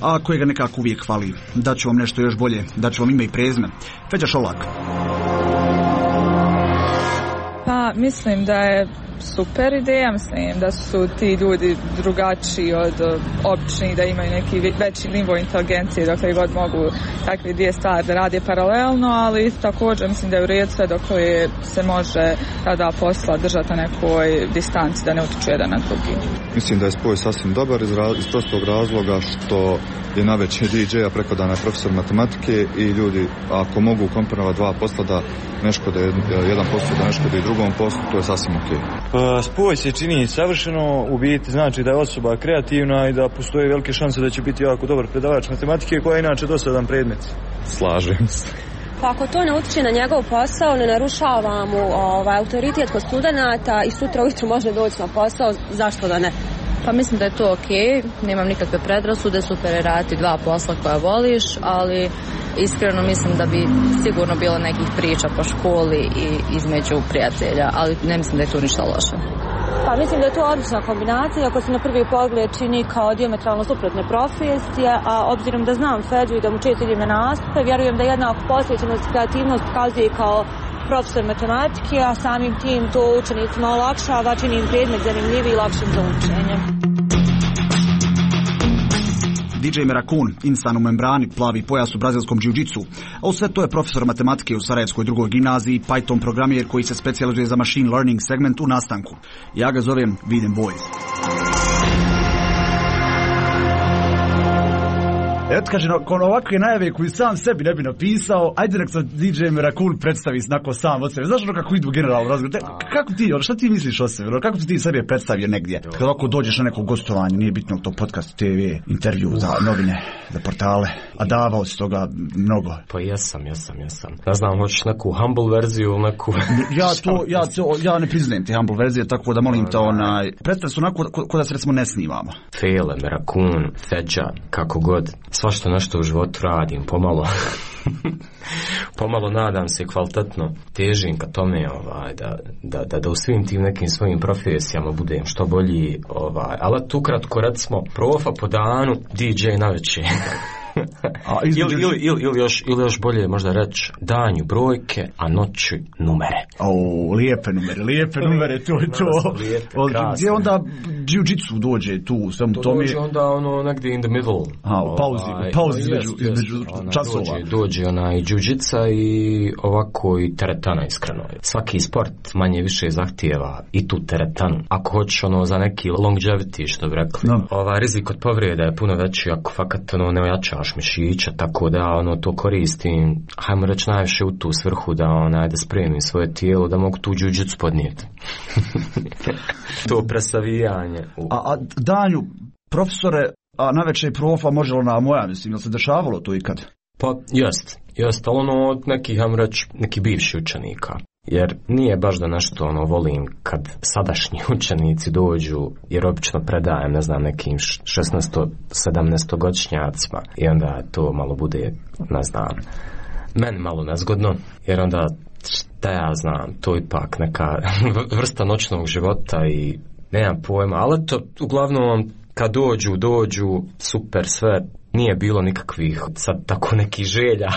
a kojega nekako uvijek fali. Daću vam nešto još bolje, daću vam ime i prezime. Feđa Šolak. Pa mislim da je super ideja, mislim da su ti ljudi drugačiji od običnih, da imaju neki veći nivo inteligencije dokle god mogu takve dvije stvari da rade paralelno, ali također mislim da je u redu sve dokle se može tada posla držati na nekoj distanci da ne utiču jedan na drugi. Mislim da je spoj sasvim dobar iz, raz, iz prostog razloga što je najveći D J-a preko dana profesor matematike i ljudi ako mogu komponovati dva posla da ne škode jedan posao, da ne škode i drugom poslu, to je sasvim ok. Pa, spoj se čini savršeno, u biti znači da je osoba kreativna i da postoje velike šanse da će biti jako dobar predavač matematike koja je inače dosadan predmet. Slažem se. Pa ako to ne utiče na njegov posao, ne narušava mu ovaj, autoritet kod studenata i sutra ujutro može doći na posao, zašto da ne? Pa mislim da je to ok, nemam nikakve predrasude, super je raditi dva posla koja voliš, ali iskreno mislim da bi sigurno bilo nekih priča po školi i između prijatelja, ali ne mislim da je tu ništa loše. Pa mislim da je to odlična kombinacija, ako se na prvi pogled čini kao dijametralno suprotne profesije, a obzirom da znam Feđu i da mu često idem na nastupe, vjerujem da jednako posvećenost i kreativnost pokazuje kao profesor matematike, a samim tim to učenicima olakšava, čini im predmet zanimljiviji i lakšim za učenje. D J Merakun, insan u membrani, plavi pojas u brazilskom džiu-džitsu, a u sve to je profesor matematike u Sarajevskoj drugoj gimnaziji, Python programer koji se specijalizuje za machine learning segment u nastanku. Ja ga zovem Viden Boys. Eto kaže, nakon ovakve najave koju sam sebi ne bi napisao, ajde nek se D J Merakun predstavi snako sam od sebe. Znaš ono kako idu generalno razgovor? Kako ti, ono, šta ti misliš o sebi? Kako ti sebi predstavio negdje? Kada ovako dođeš na neko gostovanje, nije bitno to podcast, T V, intervju za novine, za portale, a davao si toga mnogo. Pa jesam, jesam, jesam. Ne znam, hoćeš neku humble verziju, neku... ja to, ja to, ja ne priznajem te humble verzije, tako da molim te onaj... Predstav su onako ko, ko da se recimo ne snimamo. Fele, Merakun, Feđa, kako god. Svašta nešto u životu radim, pomalo. pomalo nadam se kvalitetno težim ka tome ovaj, da, da, da, da u svim tim nekim svojim profesijama budem što bolji, ovaj, ali tu kratko recimo profa po danu, D J na večer. A između... ili, ili, ili, ili, još, ili još bolje možda reći danju brojke, a noću numere. O, lijepe numere, lijepe numere, to je to. Lijepe, gdje onda jiu-jitsu dođe tu, svemu to tome? Dođe onda ono negdje in the middle. A, u pauzi, ovaj, pauzi no, između, jest, između ona, časova. Dođe, dođe ona i jiu-jitsa i ovako i teretana iskreno. Svaki sport manje više zahtijeva i tu teretanu. Ako hoćeš ono za neki longevity, što bi rekli, no. Ova rizik od povrede je puno veći ako fakat ono ne ojačaš mišića, tako da ono to koristim, hajmo reći najviše u tu svrhu da onaj da spremim svoje tijelo, da mogu tu jiu-jitsu podnijeti. To presavijanje. A, a danju, profesore, a navečer profa može li na moja, mislim, jel se dešavalo to ikad? Pa, jest, jest, ali ono od nekih, hajmo reći, neki bivši učenika. jer nije baš da nešto ono volim kad sadašnji učenici dođu, jer obično predajem, ne znam, nekim šesnaesto-sedamnaestogodišnjacima i onda to malo bude, ne znam, meni malo nezgodno, jer onda šta ja znam, to ipak neka vrsta noćnog života i nemam pojma, ali to uglavnom kad dođu, dođu, super sve, nije bilo nikakvih sad tako nekih želja.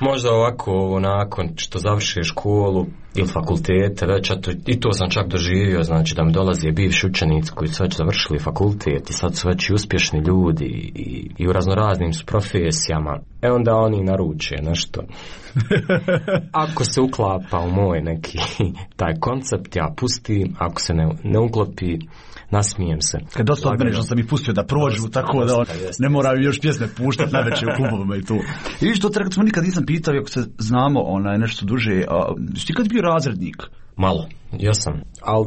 Možda ovako ovo, nakon što završe školu ili fakultete, već to, i to sam čak doživio, znači da mi dolazi bivši učenici koji su već završili fakultet i sad su već i uspješni ljudi i, i u raznoraznim su profesijama. E onda oni naruče nešto. Ako se uklapa u moj neki taj koncept, ja pustim, ako se ne, ne uklopi, nasmijem se. Kad dosta od mene što sam ih pustio da prođu, dosta, tako dosta, da on, ne moraju još pjesme puštati na večer u klubovima i tu. I vidiš, to treba, smo nikad nisam pitao, ako se znamo onaj, nešto duže, a ti kad bio razrednik? Malo, ja sam, ali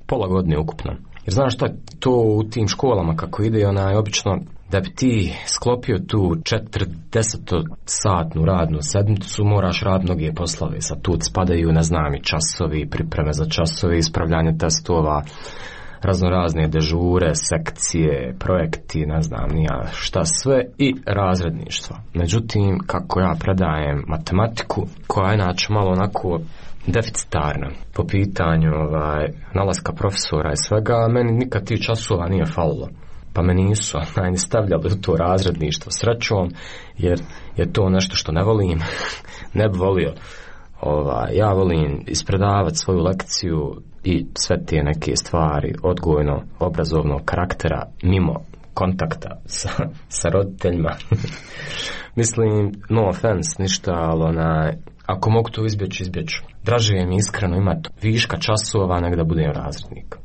pola godine ukupno. Jer znaš šta, to u tim školama kako ide, onaj, obično, da bi ti sklopio tu četrdesetosatnu radnu sedmicu, moraš raditi mnoge poslove. Sad tu spadaju, ne znam, i časovi, pripreme za časove, ispravljanje testova, raznorazne dežure, sekcije, projekti, ne znam nija šta sve i razredništvo. Međutim, kako ja predajem matematiku, koja je inače malo onako deficitarna po pitanju ovaj, nalaska profesora i svega, meni nikad tih časova nije falilo. Pa me nisu ni stavljali u to razredništvo srećom, jer je to nešto što ne volim, ne bi volio. Ova, ja volim ispredavati svoju lekciju i sve te neke stvari odgojno obrazovnog karaktera mimo kontakta sa, sa roditeljima. Mislim, no offense, ništa, ali onaj, ako mogu to izbjeći, izbjeću. Draže je mi iskreno imati viška časova nego da budem razrednik.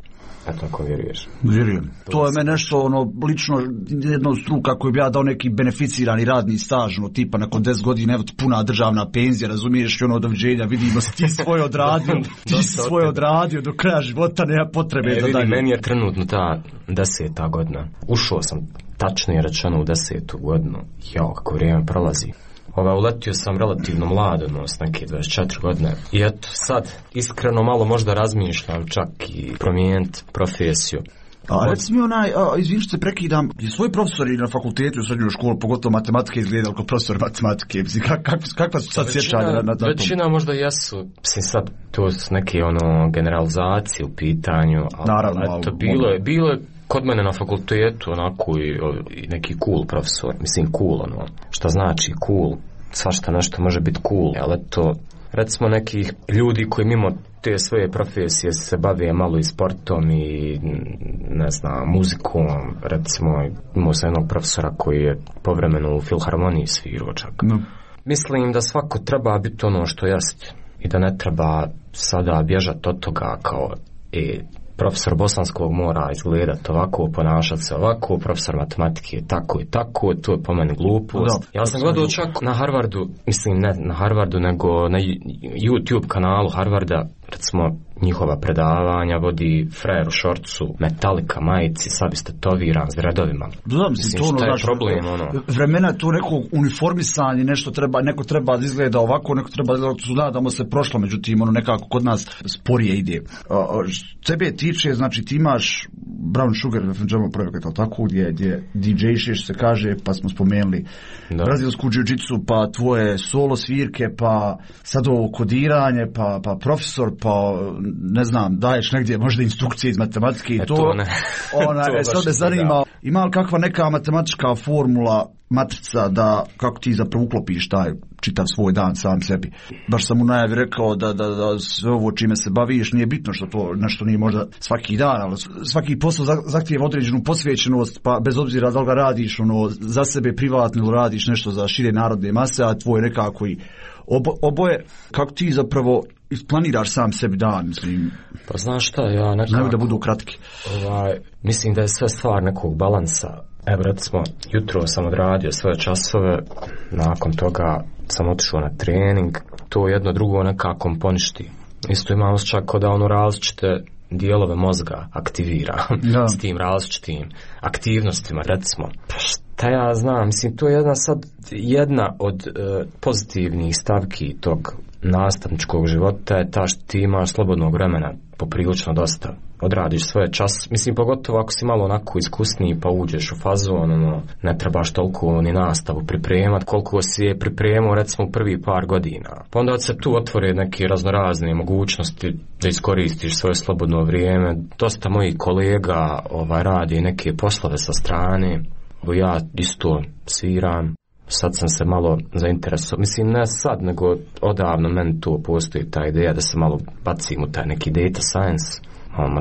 Eto, ako vjeruješ. Vjerujem. To je meni nešto, ono, lično jedno struka koju bi ja dao neki beneficirani radni staž, ono, tipa nakon deset godina, evo ti puna državna penzija, razumiješ, i ono, doviđenja, vidimo se, ti svoj odradio, ti svoj odradio do kraja života, nema potrebe e, za dalje. Meni je trenutno ta deseta godina. Ušao sam, tačno je rečeno, u desetu godinu. Jao, kako vrijeme prolazi. Ova, uletio sam relativno mlado, no, s neke dvadeset četiri godine. I eto, sad, iskreno malo možda razmišljam čak i promijeniti profesiju. A reci mi onaj, izvini što se prekidam, je svoj profesori na fakultetu u srednjoj školi, pogotovo matematike, izgledali kao profesor matematike, mislim, kak, kak, kakva su sad sjećanja na, na tom? Većina možda jesu, mislim sad, to su neke ono generalizacije u pitanju, ali naravno, eto, bilo je, bilo je kod mene na fakultetu onako i, i neki cool profesor, mislim cool ono, šta znači cool, svašta nešto može biti cool, ali to recimo nekih ljudi koji mimo te svoje profesije se bave malo i sportom i ne znam, muzikom, recimo imao sam jednog profesora koji je povremeno u filharmoniji svirao čak. No. Mislim da svako treba biti ono što jest i da ne treba sada bježati od toga kao e, profesor bosanskog mora izgledati ovako, ponašati se ovako, profesor matematike je tako i tako, to je po meni glupost. Ja sam gledao čak na Harvardu, mislim ne na Harvardu, nego na YouTube kanalu Harvarda, recimo njihova predavanja vodi frajer u šorcu, Metallica majici, sad biste toviran s redovima. Da, mislim, to ono, je problem, ono? Vremena to neko uniformisanje, nešto treba, neko treba da izgleda ovako, neko treba da izgleda, nadamo se prošlo, međutim, ono nekako kod nas sporije ide. Tebe tiče, znači ti imaš Brown Sugar F M projekat, ali tako, gdje, gdje D J-šeš se kaže, pa smo spomenuli da. Brazilsku jiu-jitsu, pa tvoje solo svirke, pa sad ovo kodiranje, pa, pa profesor, pa ne znam, daješ negdje možda instrukcije iz matematike i to, to ne. Ona, to e, sad me zanima, ima li kakva neka matematička formula, matrica da, kako ti zapravo uklopiš taj čitav svoj dan sam sebi. Baš sam u najavi rekao da, da, da sve ovo čime se baviš nije bitno što to nešto nije možda svaki dan, ali svaki posao zahtijeva određenu posvećenost, pa bez obzira da li ga radiš ono, za sebe privatno ili radiš nešto za šire narodne mase, a tvoj nekako i obo, oboje, kako ti zapravo isplaniraš sam sebi dan, mislim. Pa znaš šta, ja nekako... Znaju da budu kratki. Ovaj, mislim da je sve stvar nekog balansa. Evo, recimo, jutro sam odradio svoje časove, nakon toga sam otišao na trening, to jedno drugo nekako poništi. Isto imam osjećaj kao da ono različite dijelove mozga aktivira s tim različitim aktivnostima, recimo. Pa Šta ja znam, mislim, to je jedna sad jedna od uh, pozitivnih stavki tog nastavničkog života je ta što ti imaš slobodnog vremena poprilično dosta. Odradiš svoje čas, mislim, pogotovo ako si malo onako iskusniji pa uđeš u fazon, ono, ne trebaš toliko ni nastavu pripremat koliko si je pripremao recimo u prvi par godina. Pa onda se tu otvore neke raznorazne mogućnosti da iskoristiš svoje slobodno vrijeme. Dosta mojih kolega ovaj, radi neke poslove sa strane, ja isto sviram. Sad sam se malo zainteresovao, mislim ne sad, nego odavno meni tu postoji ta ideja da se malo bacim u taj neki data science,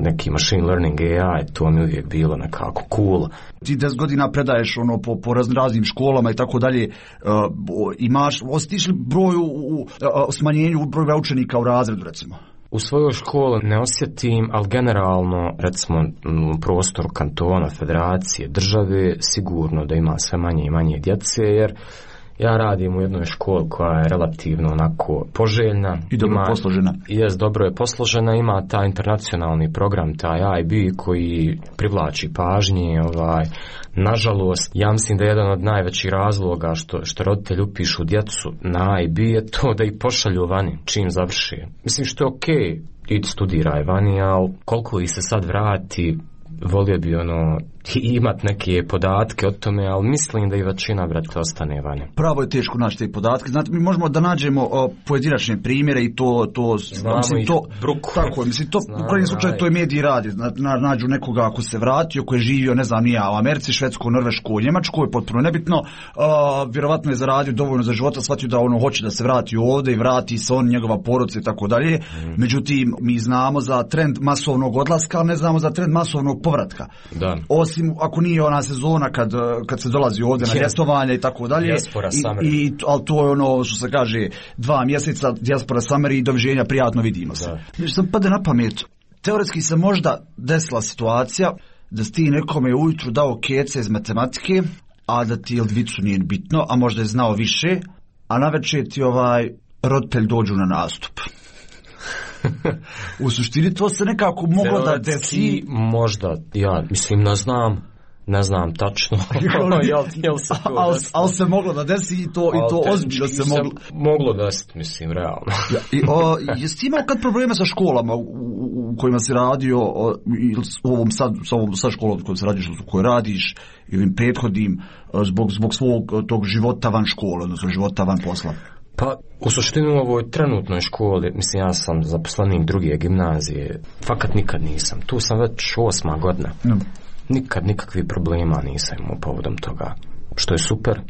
neki machine learning A I, to mi uvijek bilo nekako cool. Ti deset godina predaješ ono po, po raznim školama i tako dalje, uh, imaš, osjetiš li broj u, u, u smanjenju broja učenika u razredu recimo? U svojoj školi ne osjetim, ali generalno, recimo, u prostoru kantona, federacije, države, sigurno da ima sve manje i manje djece, jer ja radim u jednoj školi koja je relativno onako poželjna. I dobro ima, posložena. Jes, dobro je posložena, ima taj internacionalni program, taj I B koji privlači pažnje, ovaj, nažalost, ja mislim da je jedan od najvećih razloga što, što roditelji upišu djecu na I B je to da ih pošalju vani, čim završi. Mislim što je okej, okay, idi studiraj vani, ali koliko ih se sad vrati, volio bi ono imat neke podatke o tome, ali mislim da i većina brate ostane vani. Pravo je teško naći te podatke. Znate, mi možemo da nađemo o, pojedinačne primjere i to, to mislim, to, tako, mislim, to u krajnjem slučaju to je mediji radi. Na, nađu nekoga ako se vratio, ko je živio, ne znam, nije u Americi, Švedskoj, Norveškoj, Njemačkoj, potpuno nebitno, a, vjerovatno je zaradio dovoljno za života, shvatio da ono hoće da se vrati ovdje i vrati se on, njegova porodica i tako dalje. Mm. Međutim, mi znamo za trend masovnog odlaska, ali ne znamo za trend masovnog povratka. Da. Osim ako nije ona sezona kad, kad se dolazi ovdje na ljetovanje i tako dalje. Diaspora summer. I, i, ali to je ono što se kaže dva mjeseca diaspora summer i doviđenja, prijatno vidimo se. Znači sam pade na pamet, teoretski se možda desila situacija da si ti nekome ujutru dao kece iz matematike, a da ti Ildvicu nije bitno, a možda je znao više, a navečer ti ovaj roditelj dođu na nastup. U suštini to se nekako moglo da desi. Možda, ja mislim ne znam, ne znam tačno. Ali al se moglo da desi i to, i to ozbiljno se moglo. Moglo desiti, mislim, realno. Ja, i, o, jesi imao kad probleme sa školama u, u, u kojima si radio, o, ili u ovom sad, sa ovom sad školom u kojoj se radiš, u kojoj radiš, i ovim prethodnim, zbog, zbog svog tog života van škole, odnosno života van posla? Pa, u suštini u ovoj trenutnoj školi, mislim, ja sam zaposlenik druge gimnazije, fakat nikad nisam. Tu sam već osma godina. Mm. Nikad nikakvih problema nisam imao povodom toga, što je super.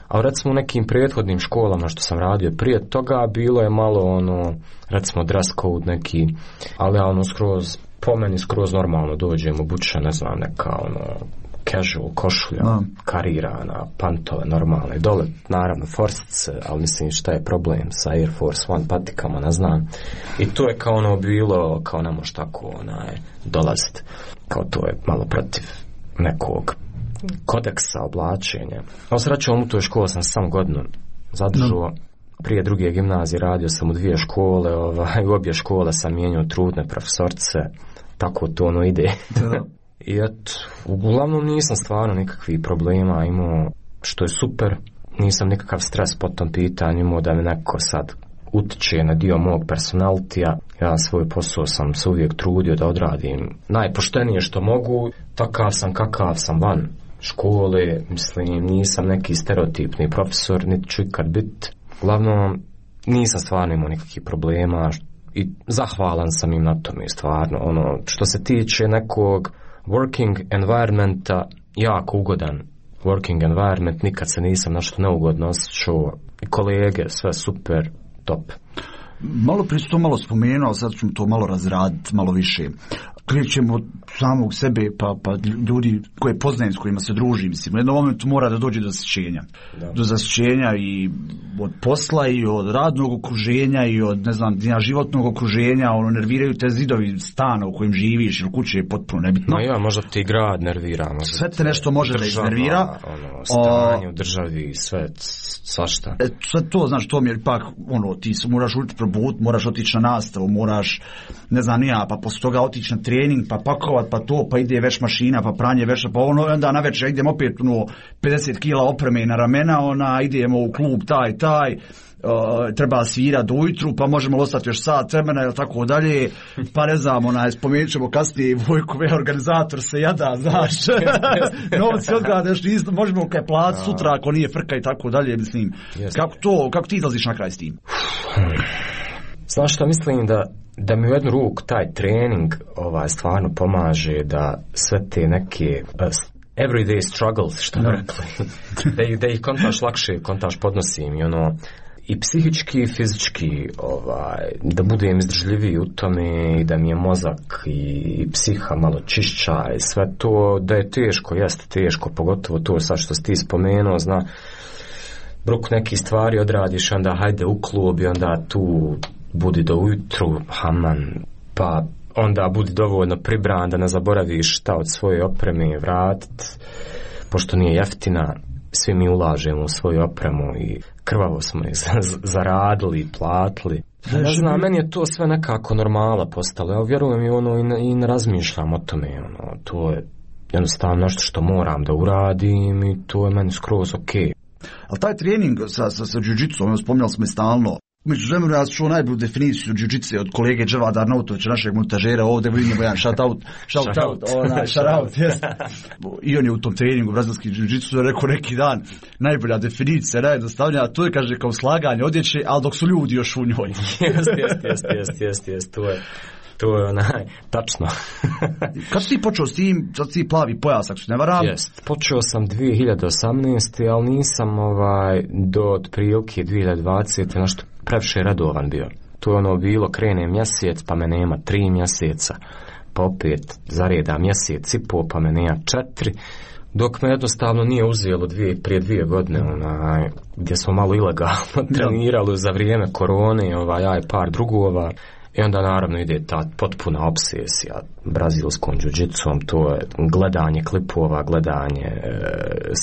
A recimo u nekim prethodnim školama što sam radio prije toga, bilo je malo ono, recimo dress code neki, ali ja ono skroz, po meni skroz normalno dođem obučen, ne znam, neka ono, casual košulja, no. Karirana, pantove normalne, dole naravno forsice, ali mislim šta je problem sa Air Force One patikama, ne znam. I to je kao ono bilo, kao ne može tako onaj dolaziti, kao to je malo protiv nekog kodeksa oblačenja. A srećom u toj školi sam sam godinu zadržao. No. Prije druge gimnazije radio sam u dvije škole, ovaj, u obje škole sam mijenjao trudne profesorce, tako to ono ide. I eto, uglavnom nisam stvarno nikakvih problema imao, što je super, nisam nikakav stres po tom pitanju imao da mi neko sad utiče na dio mog personalitija. Ja svoj posao sam se uvijek trudio da odradim najpoštenije što mogu, takav sam kakav sam van škole, mislim nisam neki stereotipni profesor, niti ću ikad bit. Uglavnom nisam stvarno imao nikakvih problema i zahvalan sam im na tome stvarno. Ono, što se tiče nekog working environmenta, jako ugodan working environment, nikad se nisam nešto neugodno osjećao i kolege, sve super, top. Malo prije to malo spomenuo, sad ćemo to malo razraditi, malo više. Krećemo od samog sebe, pa, pa ljudi koje poznajem, s kojima se družim, mislim, u jednom momentu mora da dođe do zasićenja. Da. Do zasićenja i od posla i od radnog okruženja i od, ne znam, životnog okruženja, ono, nerviraju te zidovi stana u kojem živiš ili kuće je potpuno nebitno. No ja, možda ti grad nervira. Sve te nešto može država, da iznervira. Ono, stanje u državi, sve, svašta. E, sve to, znaš, to mi je ipak, ono, ti se moraš učiti probuditi, moraš otići na nastavu, moraš, ne znam ni ja, pa poslije toga otići na trening, pa pakovat, pa to, pa ide već mašina, pa pranje veša, pa ono, onda na večer idem opet ono, pedeset kila opreme na ramena, ona, idemo u klub taj, taj, Uh, treba svirati ujutru, pa možemo ostati još sat vremena ili tako dalje, pa ne znam, onaj, spomenut ćemo kasnije Vojkove, organizator se jada, znaš, novci odgadaš, isto, možemo kaj plat sutra ako nije frka i tako dalje, mislim, kako to, kako ti izlaziš na kraj s tim? Znaš šta, mislim da da mi u jednu ruku taj trening ovaj, stvarno pomaže da sve te neke uh, everyday struggles, što bi rekli, da, ih, da ih kontaš lakše, kontaš podnosim i ono, i psihički i fizički, ovaj, da budem izdržljiviji u tome i da mi je mozak i psiha malo čišća i sve to, da je teško, jeste teško, pogotovo to sad što si ti spomenuo, zna, bruk neki stvari odradiš, onda hajde u klub i onda tu budi do ujutru, haman, pa onda budi dovoljno pribran da ne zaboraviš šta od svoje opreme vratit, pošto nije jeftina, svi mi ulažemo u svoju opremu i krvavo smo ih zaradili i platili. Ne znam, meni je to sve nekako normala postalo. Ja vjerujem i ono i ne, i ne razmišljam o tome. Ono, to je jednostavno nešto što moram da uradim i to je meni skroz ok. Ali taj trening sa, sa, sa jiu-jitsu, spominjali smo i stalno, među vremenu ja čuo najbolju definiciju jiu-jitsu od kolege Dževada Arnautovića, našeg montažera, ovdje vidimo jedan shout out, shout out, onaj, shout out, yes. I on je u tom treningu brazilski jiu-jitsu rekao neki dan, najbolja definicija, najjednostavnija, a to je, kaže, kao slaganje odjeće, ali dok su ljudi još u njoj. Jest, jest, jest, jest, jest, jest, to je, to je onaj, tačno. Kad si ti počeo s tim, sad si plavi pojas, ako se ne varam? Jest, počeo sam dvije hiljade osamnaeste. ali nisam ovaj, do otprilike dvije hiljade dvadesete nešto previše redovan bio. To je ono bilo, krene mjesec, pa me nema tri mjeseca, pa opet zareda mjesec i po, pa me nema četiri, dok me jednostavno nije uzelo dvije, prije dvije godine, onaj, gdje smo malo ilegalno trenirali za vrijeme korone, ovaj, ja i par drugova. I onda naravno ide ta potpuna obsesija brazilskom jiu-jitsom, to je gledanje klipova, gledanje, e,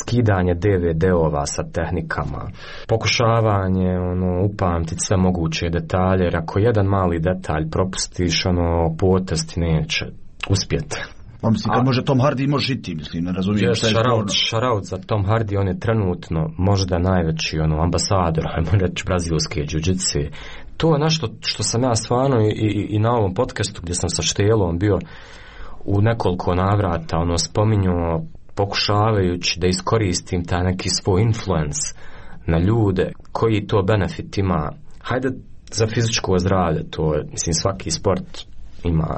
skidanje D V D-ova sa tehnikama, pokušavanje ono, upamtiti sve moguće detalje, jer ako jedan mali detalj propustiš, ono, potez ti neće uspjeti. Pa mislim, kad može Tom Hardy može i ti, mislim, ne razumijem šta je šaraut, šaraut za Tom Hardy, on je trenutno možda najveći ono, ambasador, ajmo reći, brazilske jiu-jitse. To je nešto što sam ja stvarno i, i, i na ovom podcastu gdje sam sa Štelom bio u nekoliko navrata ono, spominjao, pokušavajući da iskoristim taj neki svoj influence na ljude, koji to benefit ima. Hajde za fizičko zdravlje, to je, mislim, svaki sport ima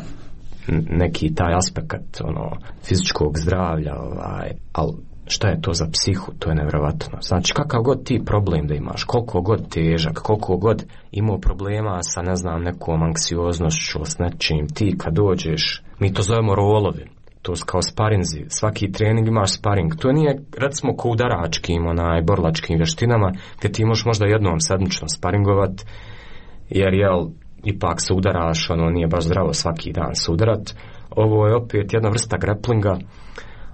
neki taj aspekt ono, fizičkog zdravlja, ovaj, ali šta je to za psihu, to je nevjerovatno. Znači, kakav god ti problem da imaš, koliko god težak, koliko god imao problema sa, ne znam, nekom anksioznošću, s nečim, ti kad dođeš, mi to zovemo rolovi, to su kao sparinzi, svaki trening imaš sparing, to nije, recimo, ko udaračkim, onaj, borlačkim vještinama, gdje ti možeš možda jednom sedmično sparingovat, jer, jel, ipak se udaraš, ono, nije baš zdravo svaki dan se udarat. Ovo je opet jedna vrsta graplinga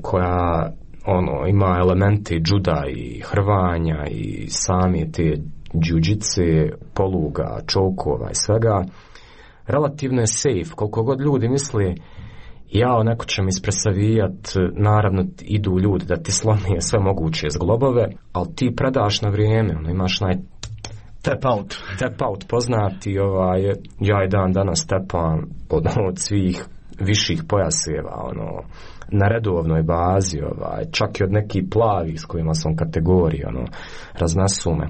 koja ono, ima elemente juda i hrvanja i same te jiu-jitse, poluga, čokova i svega. Relativno je safe, koliko god ljudi misli jao, neko će mi ispresavijat, naravno idu ljudi da ti slomije sve moguće zglobove, ali ti predaš na vrijeme, ono, imaš naj tap out. Tap out poznati, ovaj, ja i dan danas tepam od, od svih viših pojaseva, ono, na redovnoj bazi, ovaj, čak i od nekih plavih s kojima sam kategoriji, ono, raznesu me.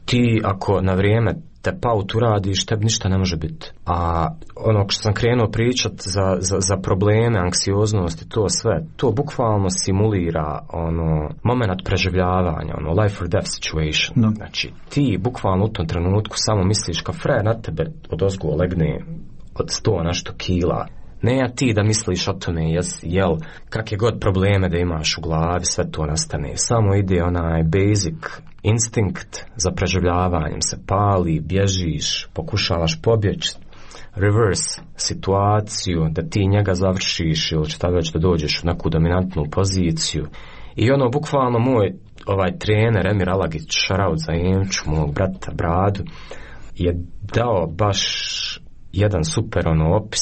Ti ako na vrijeme tap out uradiš, tebi ništa ne može biti. A ono što sam krenuo pričat za, za, za probleme, anksioznost i to sve, to bukvalno simulira ono, moment preživljavanja, ono, life or death situation. No. Znači, ti bukvalno u tom trenutku samo misliš kao fre na tebe od ozgo legne od sto nešto kila. Ne ja ti da misliš o tome, jes, jel, kakve god probleme da imaš u glavi, sve to nastane. Samo ide onaj basic instinkt za preživljavanjem, se pali, bježiš, pokušavaš pobjeći, reverse situaciju, da ti njega završiš ili šta već da dođeš u neku dominantnu poziciju. I ono, bukvalno moj ovaj trener Emir Alagić, šaraut za Emču, mog brata Bradu, je dao baš jedan super ono opis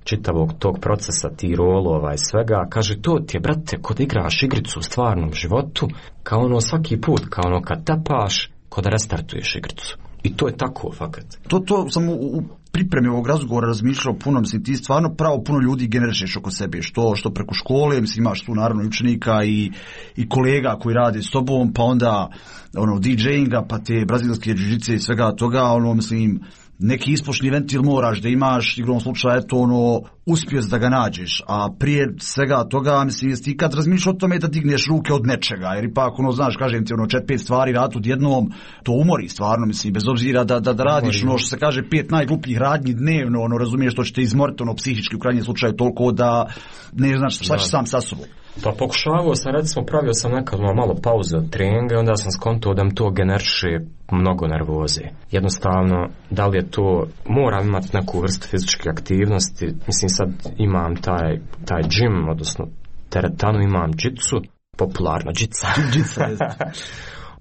čitavog tog procesa, ti rolova i svega. Kaže, to ti je, brate, kod igraš igricu u stvarnom životu, kao ono svaki put, kao ono kad tapaš, kod da restartuješ igricu. I to je tako, fakat. To, to sam u, u pripremi ovog razgovora razmišljao puno, mislim, ti stvarno pravo puno ljudi generišeš oko sebe, što, što preko škole, mislim, imaš tu naravno učenika i, i kolega koji rade s tobom, pa onda ono, DJinga, pa te brazilske džiu-džice i svega toga, ono, mislim, neki ispošni ventil moraš da imaš, igrom slučaja, eto, ono, uspješ da ga nađeš, a prije svega toga, mislim, jesi ti kad razmišljaš o tome da digneš ruke od nečega, jer ipak, ono, znaš, kažem ti, ono, čet, pet stvari rad odjednom, to umori stvarno, mislim, bez obzira da, da, da radiš, ono, što se kaže, pet najglupljih radnji dnevno, ono, razumiješ, to će te izmoriti, ono, psihički u krajnjem slučaju toliko da ne znaš šta ćeš sam sa sobom. Pa pokušavao sam, recimo, pravio sam nekad malo pauze od treninga, onda sam skontao da mi to generiše mnogo nervoze. Jednostavno, da li je to, moram imati neku vrstu fizičke aktivnosti, mislim sad imam taj, taj gym, odnosno teretanu, imam džicu, popularna džica. Džica je.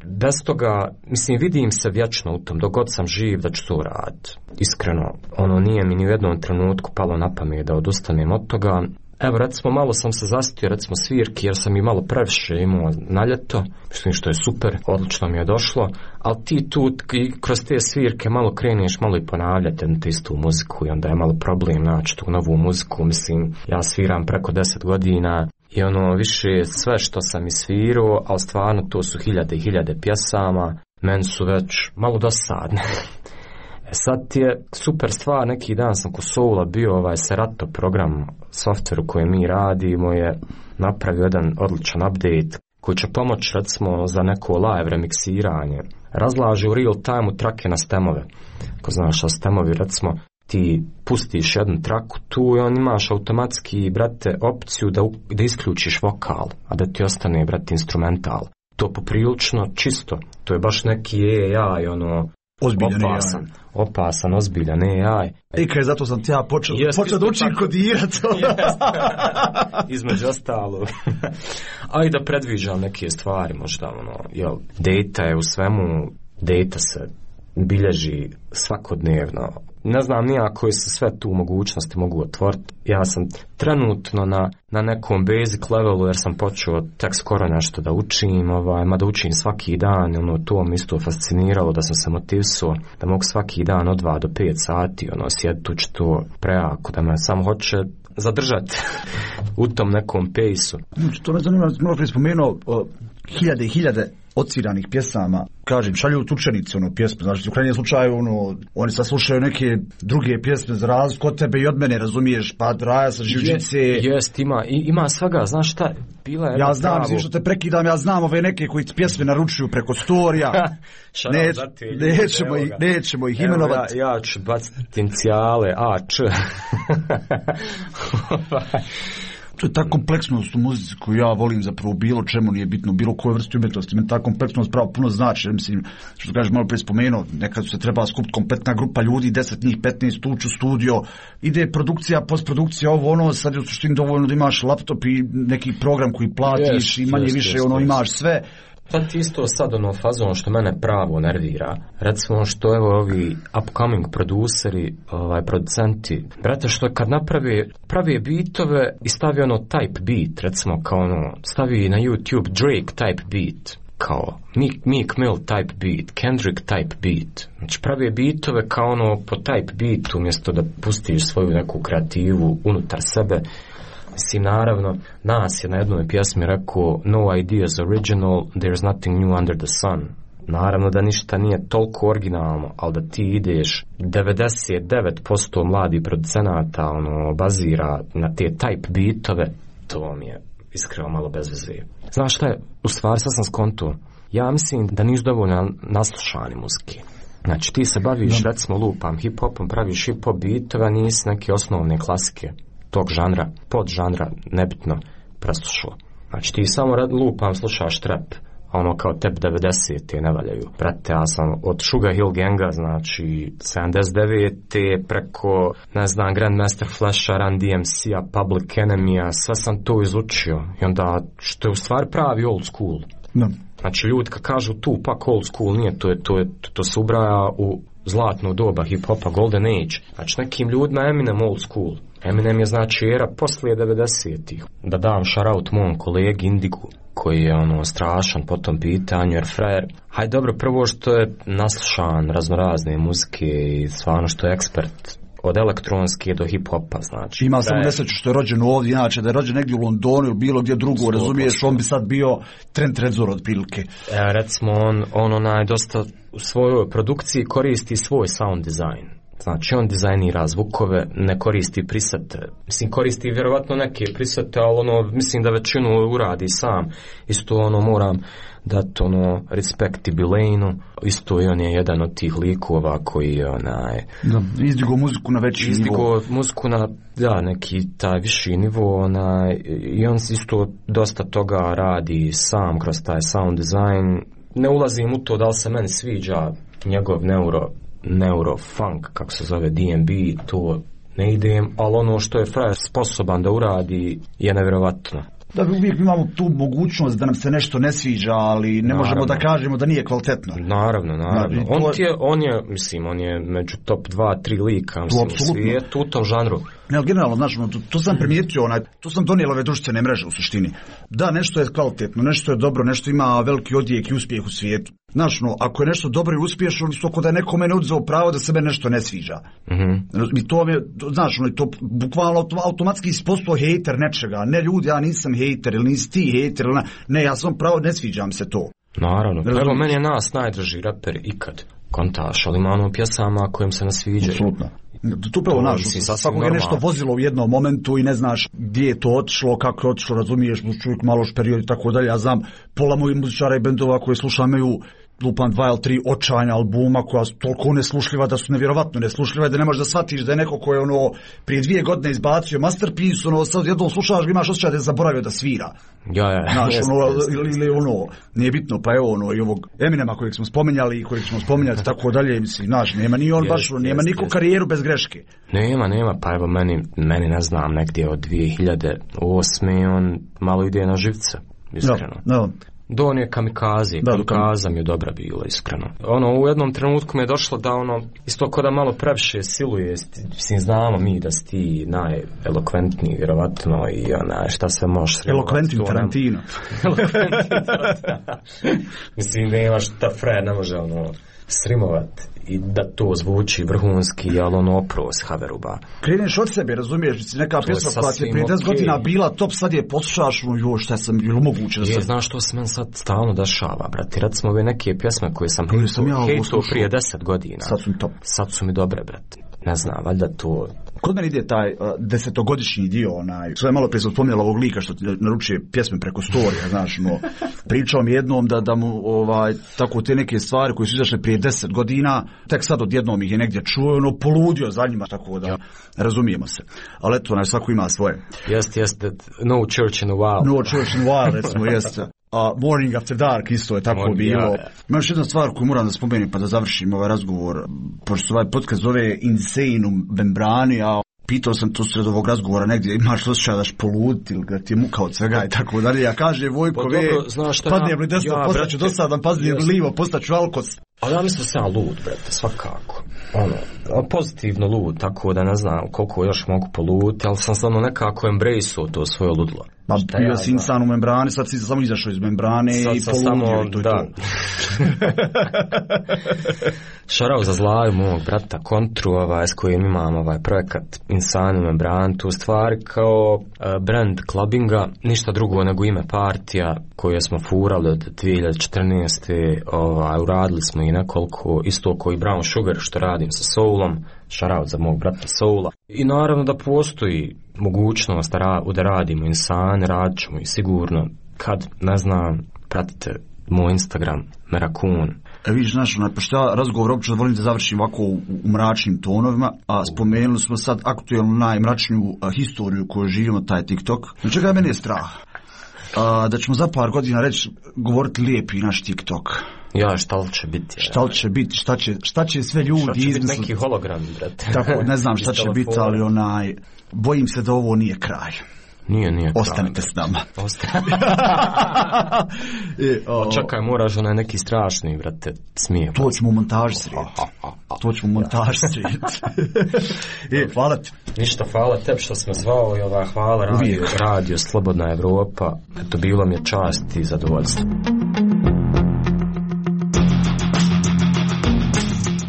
Bez toga, mislim, vidim se vječno u tom, dok god sam živ da ću to raditi. Iskreno, ono nije mi ni u jednom trenutku palo na pamet da odustanem od toga. Evo, recimo, malo sam se zastio, recimo, svirki, jer sam i malo previše imao na ljeto, mislim što je super, odlično mi je došlo, ali ti tu kroz te svirke malo kreneš, malo i ponavljate na istu muziku i onda je malo problem naći tu novu muziku, mislim, ja sviram preko deset godina i ono, više sve što sam isvirao, ali stvarno to su hiljade i hiljade pjesama, meni su već malo dosadne. Sad ti je super stvar, neki dan sam kod Soula bio, ovaj Serato program, softver u kojem mi radimo je napravio jedan odličan update koji će pomoći recimo za neko live remiksiranje. Razlaže u real time trake na stemove. Ko znaš, a stemovi recimo ti pustiš jednu traku tu i on imaš automatski, brate, opciju da, da isključiš vokal, a da ti ostane, brate, instrumental. To poprilično čisto, to je baš neki A I, ono, ozbiljan opasan, opasan, ozbiljan A I. I kaj, zato sam ti ja počeo, počeo da učim kodirati. Između ostalo. A i da predviđam neke stvari, možda, ono, jel, data je u svemu, data se bilježi svakodnevno. Ne znam nija koji se sve tu mogućnosti mogu otvoriti. Ja sam trenutno na, na nekom basic levelu jer sam počeo tek skoro nešto da učim, ovaj, ma da učim svaki dan, ono, to mi isto fasciniralo da sam se motivsuo da mogu svaki dan od dva do pet sati, ono, sjediti ući to prejako, da me samo hoće zadržati u tom nekom pejsu. To me zanima, malo prije spomenuo, hiljade i hiljade odsviranih pjesama, kažem, šalju tučenici, ono, pjesme, znači, u krajnjem slučaju, ono, oni sad slušaju neke druge pjesme za razliku od tebe i od mene, razumiješ, pa Raja sa Živčice. Jest, ima, ima svega, znaš šta, bila je... Ja znam, mislim što te prekidam, ja znam ove neke koji pjesme naručuju preko storija, Neć, nećemo, ih, nećemo ih imenovati. Ja, ja ću baciti inicijale, A, Č. To je ta kompleksnost u muzici koju ja volim zapravo bilo čemu, nije bitno, bilo koje vrste umjetnosti. Meni ta kompleksnost pravo puno znači, mislim, što kažeš malo prije spomenuo, nekad se treba skupiti kompletna grupa ljudi, deset njih, petnaest ući u studio, ide produkcija, postprodukcija, ovo ono, sad je u suštini dovoljno da imaš laptop i neki program koji platiš yes, i manje yes, više yes, ono yes. imaš sve. Sad ti isto sad ono fazon što mene pravo nervira, recimo što evo ovi upcoming produceri, ovaj, producenti, brate, što kad napravi pravi bitove i stavi ono type beat, recimo kao ono, stavi na YouTube Drake type beat, kao Meek, Meek Mill type beat, Kendrick type beat, znači pravi bitove kao ono po type beatu umjesto da pustiš svoju neku kreativu unutar sebe. Mislim, naravno, nas je na jednoj pjesmi rekao no ideas original, there's nothing new under the sun. Naravno da ništa nije toliko originalno, ali da ti ideš devedeset devet posto mladih producenata ono, bazira na te type beatove, to mi je iskreno malo bez veze. Znaš šta je, u stvari sad sam skonto, ja mislim da nisu dovoljno naslušani muzike. Znači ti se baviš, da. recimo lupam hip-hopom, praviš hip-hop beatove, nisi neke osnovne klasike tog žanra, pod žanra, nebitno, preslušao. Znači ti samo lupam, slušaš trap, a ono kao tep devedesete ne valjaju. Brate, ja sam od Sugar Hill Ganga, znači sedamdeset devete preko, ne znam, Grandmaster Flasha, Run D M C-a, Public Enemy-a, sve sam to izučio. I onda, što je u stvari pravi old school. No. Znači ljudi kad kažu Tupac old school, nije, to, je, to, je, to se ubraja u zlatno doba hip-hopa, golden age. Znači nekim ljudima Eminem old school. Eminem je znači era poslije devedesetih. Da dam shoutout mom kolegi Indigu, koji je ono strašan po tom pitanju, jer frajer, hajde dobro, prvo što je naslušan raznorazne muzike i stvarno što je ekspert od elektronske do hip-hopa, znači. Ima samo nesreću što je rođen ovdje, inače da je rođen negdje u Londonu ili bilo gdje drugo, razumiješ, on bi sad bio Trent Reznor od prilike. E, recimo, on, on onaj dosta u svojoj produkciji koristi svoj sound design. Znači, on dizajnira zvukove, ne koristi prisete. Mislim, koristi vjerovatno neke prisete, ali ono, mislim da većinu uradi sam. Isto ono, moram dati ono, respektibilejnu. Isto i on je jedan od tih likova koji je onaj... Da, izdigo muziku na veći nivo. Izdigo muziku na, da, neki taj viši nivo, onaj, i on isto dosta toga radi sam kroz taj sound design. Ne ulazim u to da li se meni sviđa njegov neuro neurofunk, kako se zove D and B, to ne idem, ali ono što je frajer sposoban da uradi je nevjerovatno. Da, uvijek imamo tu mogućnost da nam se nešto ne sviđa, ali ne naravno. Možemo da kažemo da nije kvalitetno. Naravno, naravno. naravno. On, je, on je, mislim, on je među top dva, tri lika, mislim, u svijetu, u tom žanru. Ne, ali generalno, znači, to, to sam primijetio, onaj, to sam donijela ove društvene mreže u suštini. Da, nešto je kvalitetno, nešto je dobro, nešto ima veliki odjek i uspjeh u svijetu. Znači, no, ako je nešto dobro i uspješno, isto ako da je neko mene odzeo pravo da se mene nešto ne sviđa. Mm-hmm. I to je, znači, no, to bukvalno automatski ispostao hejter nečega. Ne ljudi, ja nisam hejter, ili nisi ti hejter, ili ne, ne, ja sam pravo, ne sviđam se to. Naravno, evo meni je nas najdraži raper ikad. Kontaš, ali ima ono pjesama kojim se ne sviđaju. Apsolutno. Tu pravo naš, svakog je nešto vozilo u jednom momentu i ne znaš gdje je to otišlo, kako je otišlo, razumiješ, čovjek malo šperiod i tako dalje. Ja znam, pola mojih muzičara i bendova koje slušam imaju lupan dva ili tri očajna albuma koja su toliko neslušljiva da su nevjerovatno neslušljiva da ne možeš da shvatiš da je neko ko je ono prije dvije godine izbacio masterpiece, ono sad jednom slušaš, imaš osjećaj da je zaboravio da svira. Ja, ja. Znaš, ono, ili, ili ono, nije bitno, pa evo ono, i ovog Eminema kojeg smo spominjali i kojeg ćemo spominjati tako dalje, mislim, znaš, nema ni on baš, nema niko karijeru bez greške. Nema, nema, pa evo meni, meni ne znam, negdje od dvije hiljade osme on malo ide na živce, iskreno. Da, da. Do je kamikaze, kamikaza mi je dobra bila, iskreno. Ono, u jednom trenutku mi je došlo da ono, isto ko da malo previše siluje, mislim, znamo mi da si ti najelokventniji, vjerovatno, i onaj, šta sve možeš sremovati. Elokventni Tarantino. Elokventni Tarantino. Mislim, nema šta Fred ne može, ono, srimovati i da to zvuči vrhunski, ali ono opros Haveruba. Kreneš od sebe, razumiješ, neka pjesma koja ti je prije deset godina bila top, sad je poslušaš, no joj, šta sam, ili moguće da se... Je, znaš što se meni sad stalno dešava, brate, recimo ove neke pjesme koje sam hejtao prije deset godina. Sad su mi top. Sad su mi dobre, brate. Ne znam, valjda to... Kod mene ide taj uh, desetogodišnji dio, onaj, sve malo prije sam spominjala ovog lika što ti naručuje pjesme preko storija, znaš, no, pričao mi jednom da, da mu, ovaj, tako te neke stvari koje su izašle prije deset godina, tek sad odjednom ih je negdje čuo, ono, poludio za njima, tako da, ja. Razumijemo se. Ali eto, onaj, svako ima svoje. Jeste, jeste, no church in a while. No church in a while, recimo, jeste. A Morning After Dark isto je tako Morning, bilo. Ja, ja. Ima još jedna stvar koju moram da spomenem pa da završim ovaj razgovor. Pošto ovaj podcast zove Insane u membrani, a pitao sam to sred ovog razgovora negdje, imaš osjećaj daš poluditi ili da ti je muka od svega i tako dalje. Ja kaže Vojko, ve, padnijem li desno, ja, postaću dosadan, padnijem li livo, postaću alkos. Ali ja mislim da sam lud, brate, svakako. Ono, pozitivno lud, tako da ne znam koliko još mogu poluditi, ali sam stvarno nekako embrace-o to svoje ludlo. Ma bio ja si insan u membrani, sad si samo izašao iz membrane sad i poludio i to je da. To. Šarao za zlaju mog brata Kontru, ovaj, s kojim imam ovaj projekat Insan u membrani, tu stvari kao uh, brand clubbinga, ništa drugo nego ime partija koje smo furali od dvije hiljade četrnaeste. Ovaj, uradili smo i nekoliko, isto koji Brown Sugar što radim sa Soulom, šarao za mog brata Soula. I naravno da postoji mogućnost da, ra- da radimo Insan, radit ćemo i sigurno kad, ne znam, pratite moj Instagram, Merakun. E vidiš, znaš, pošto ja razgovor uopće da volim da završim ovako u, u mračnim tonovima, a spomenuli smo sad aktuelnu najmračniju a, historiju koju živimo, taj TikTok. Na čega je meni strah? A, da ćemo za par godina reći, govoriti lijepi naš TikTok. Ja, šta li će biti? Šta li će biti, šta će, šta će sve ljudi izmisliti? Šta će biti neki hologram, brate? Tako, ne znam šta će biti, ali onaj, bojim se da ovo nije kraj. Nije, nije. Ostanite s nama. Ostanite. Čekaj, moraš onaj neki strašni, brate, smije. To ćemo u montaži srijeti. To ćemo u montaži srijeti. E, hvala ti. Ništa, hvala tebi što sam zvao i ova hvala radio, radio Slobodna Evropa. Eto, bilo mi je čast i zadovoljstvo.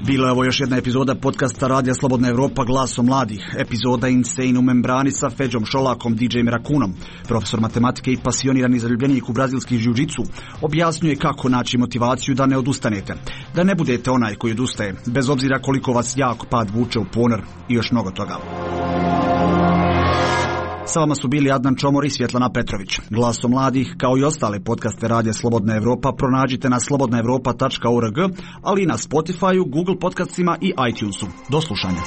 Bila je ovo još jedna epizoda podcasta Radija Slobodna Evropa Glasom mladih. Epizoda Insane u membrani sa Feđom Šolakom, D J-em Rakunom. Profesor matematike i pasionirani zaljubljenik u brazilski jiu-jitsu objasnjuje kako naći motivaciju da ne odustanete. Da ne budete onaj koji odustaje, bez obzira koliko vas jak pad vuče u ponor i još mnogo toga. Sa vama su bili Adnan Čomor i Svjetlana Petrović. Glasom mladih, kao i ostale podcaste Radija Slobodna Evropa, pronađite na slobodna evropa tačka org, ali i na Spotifyu, Google podcastima i iTunesu. Do slušanja.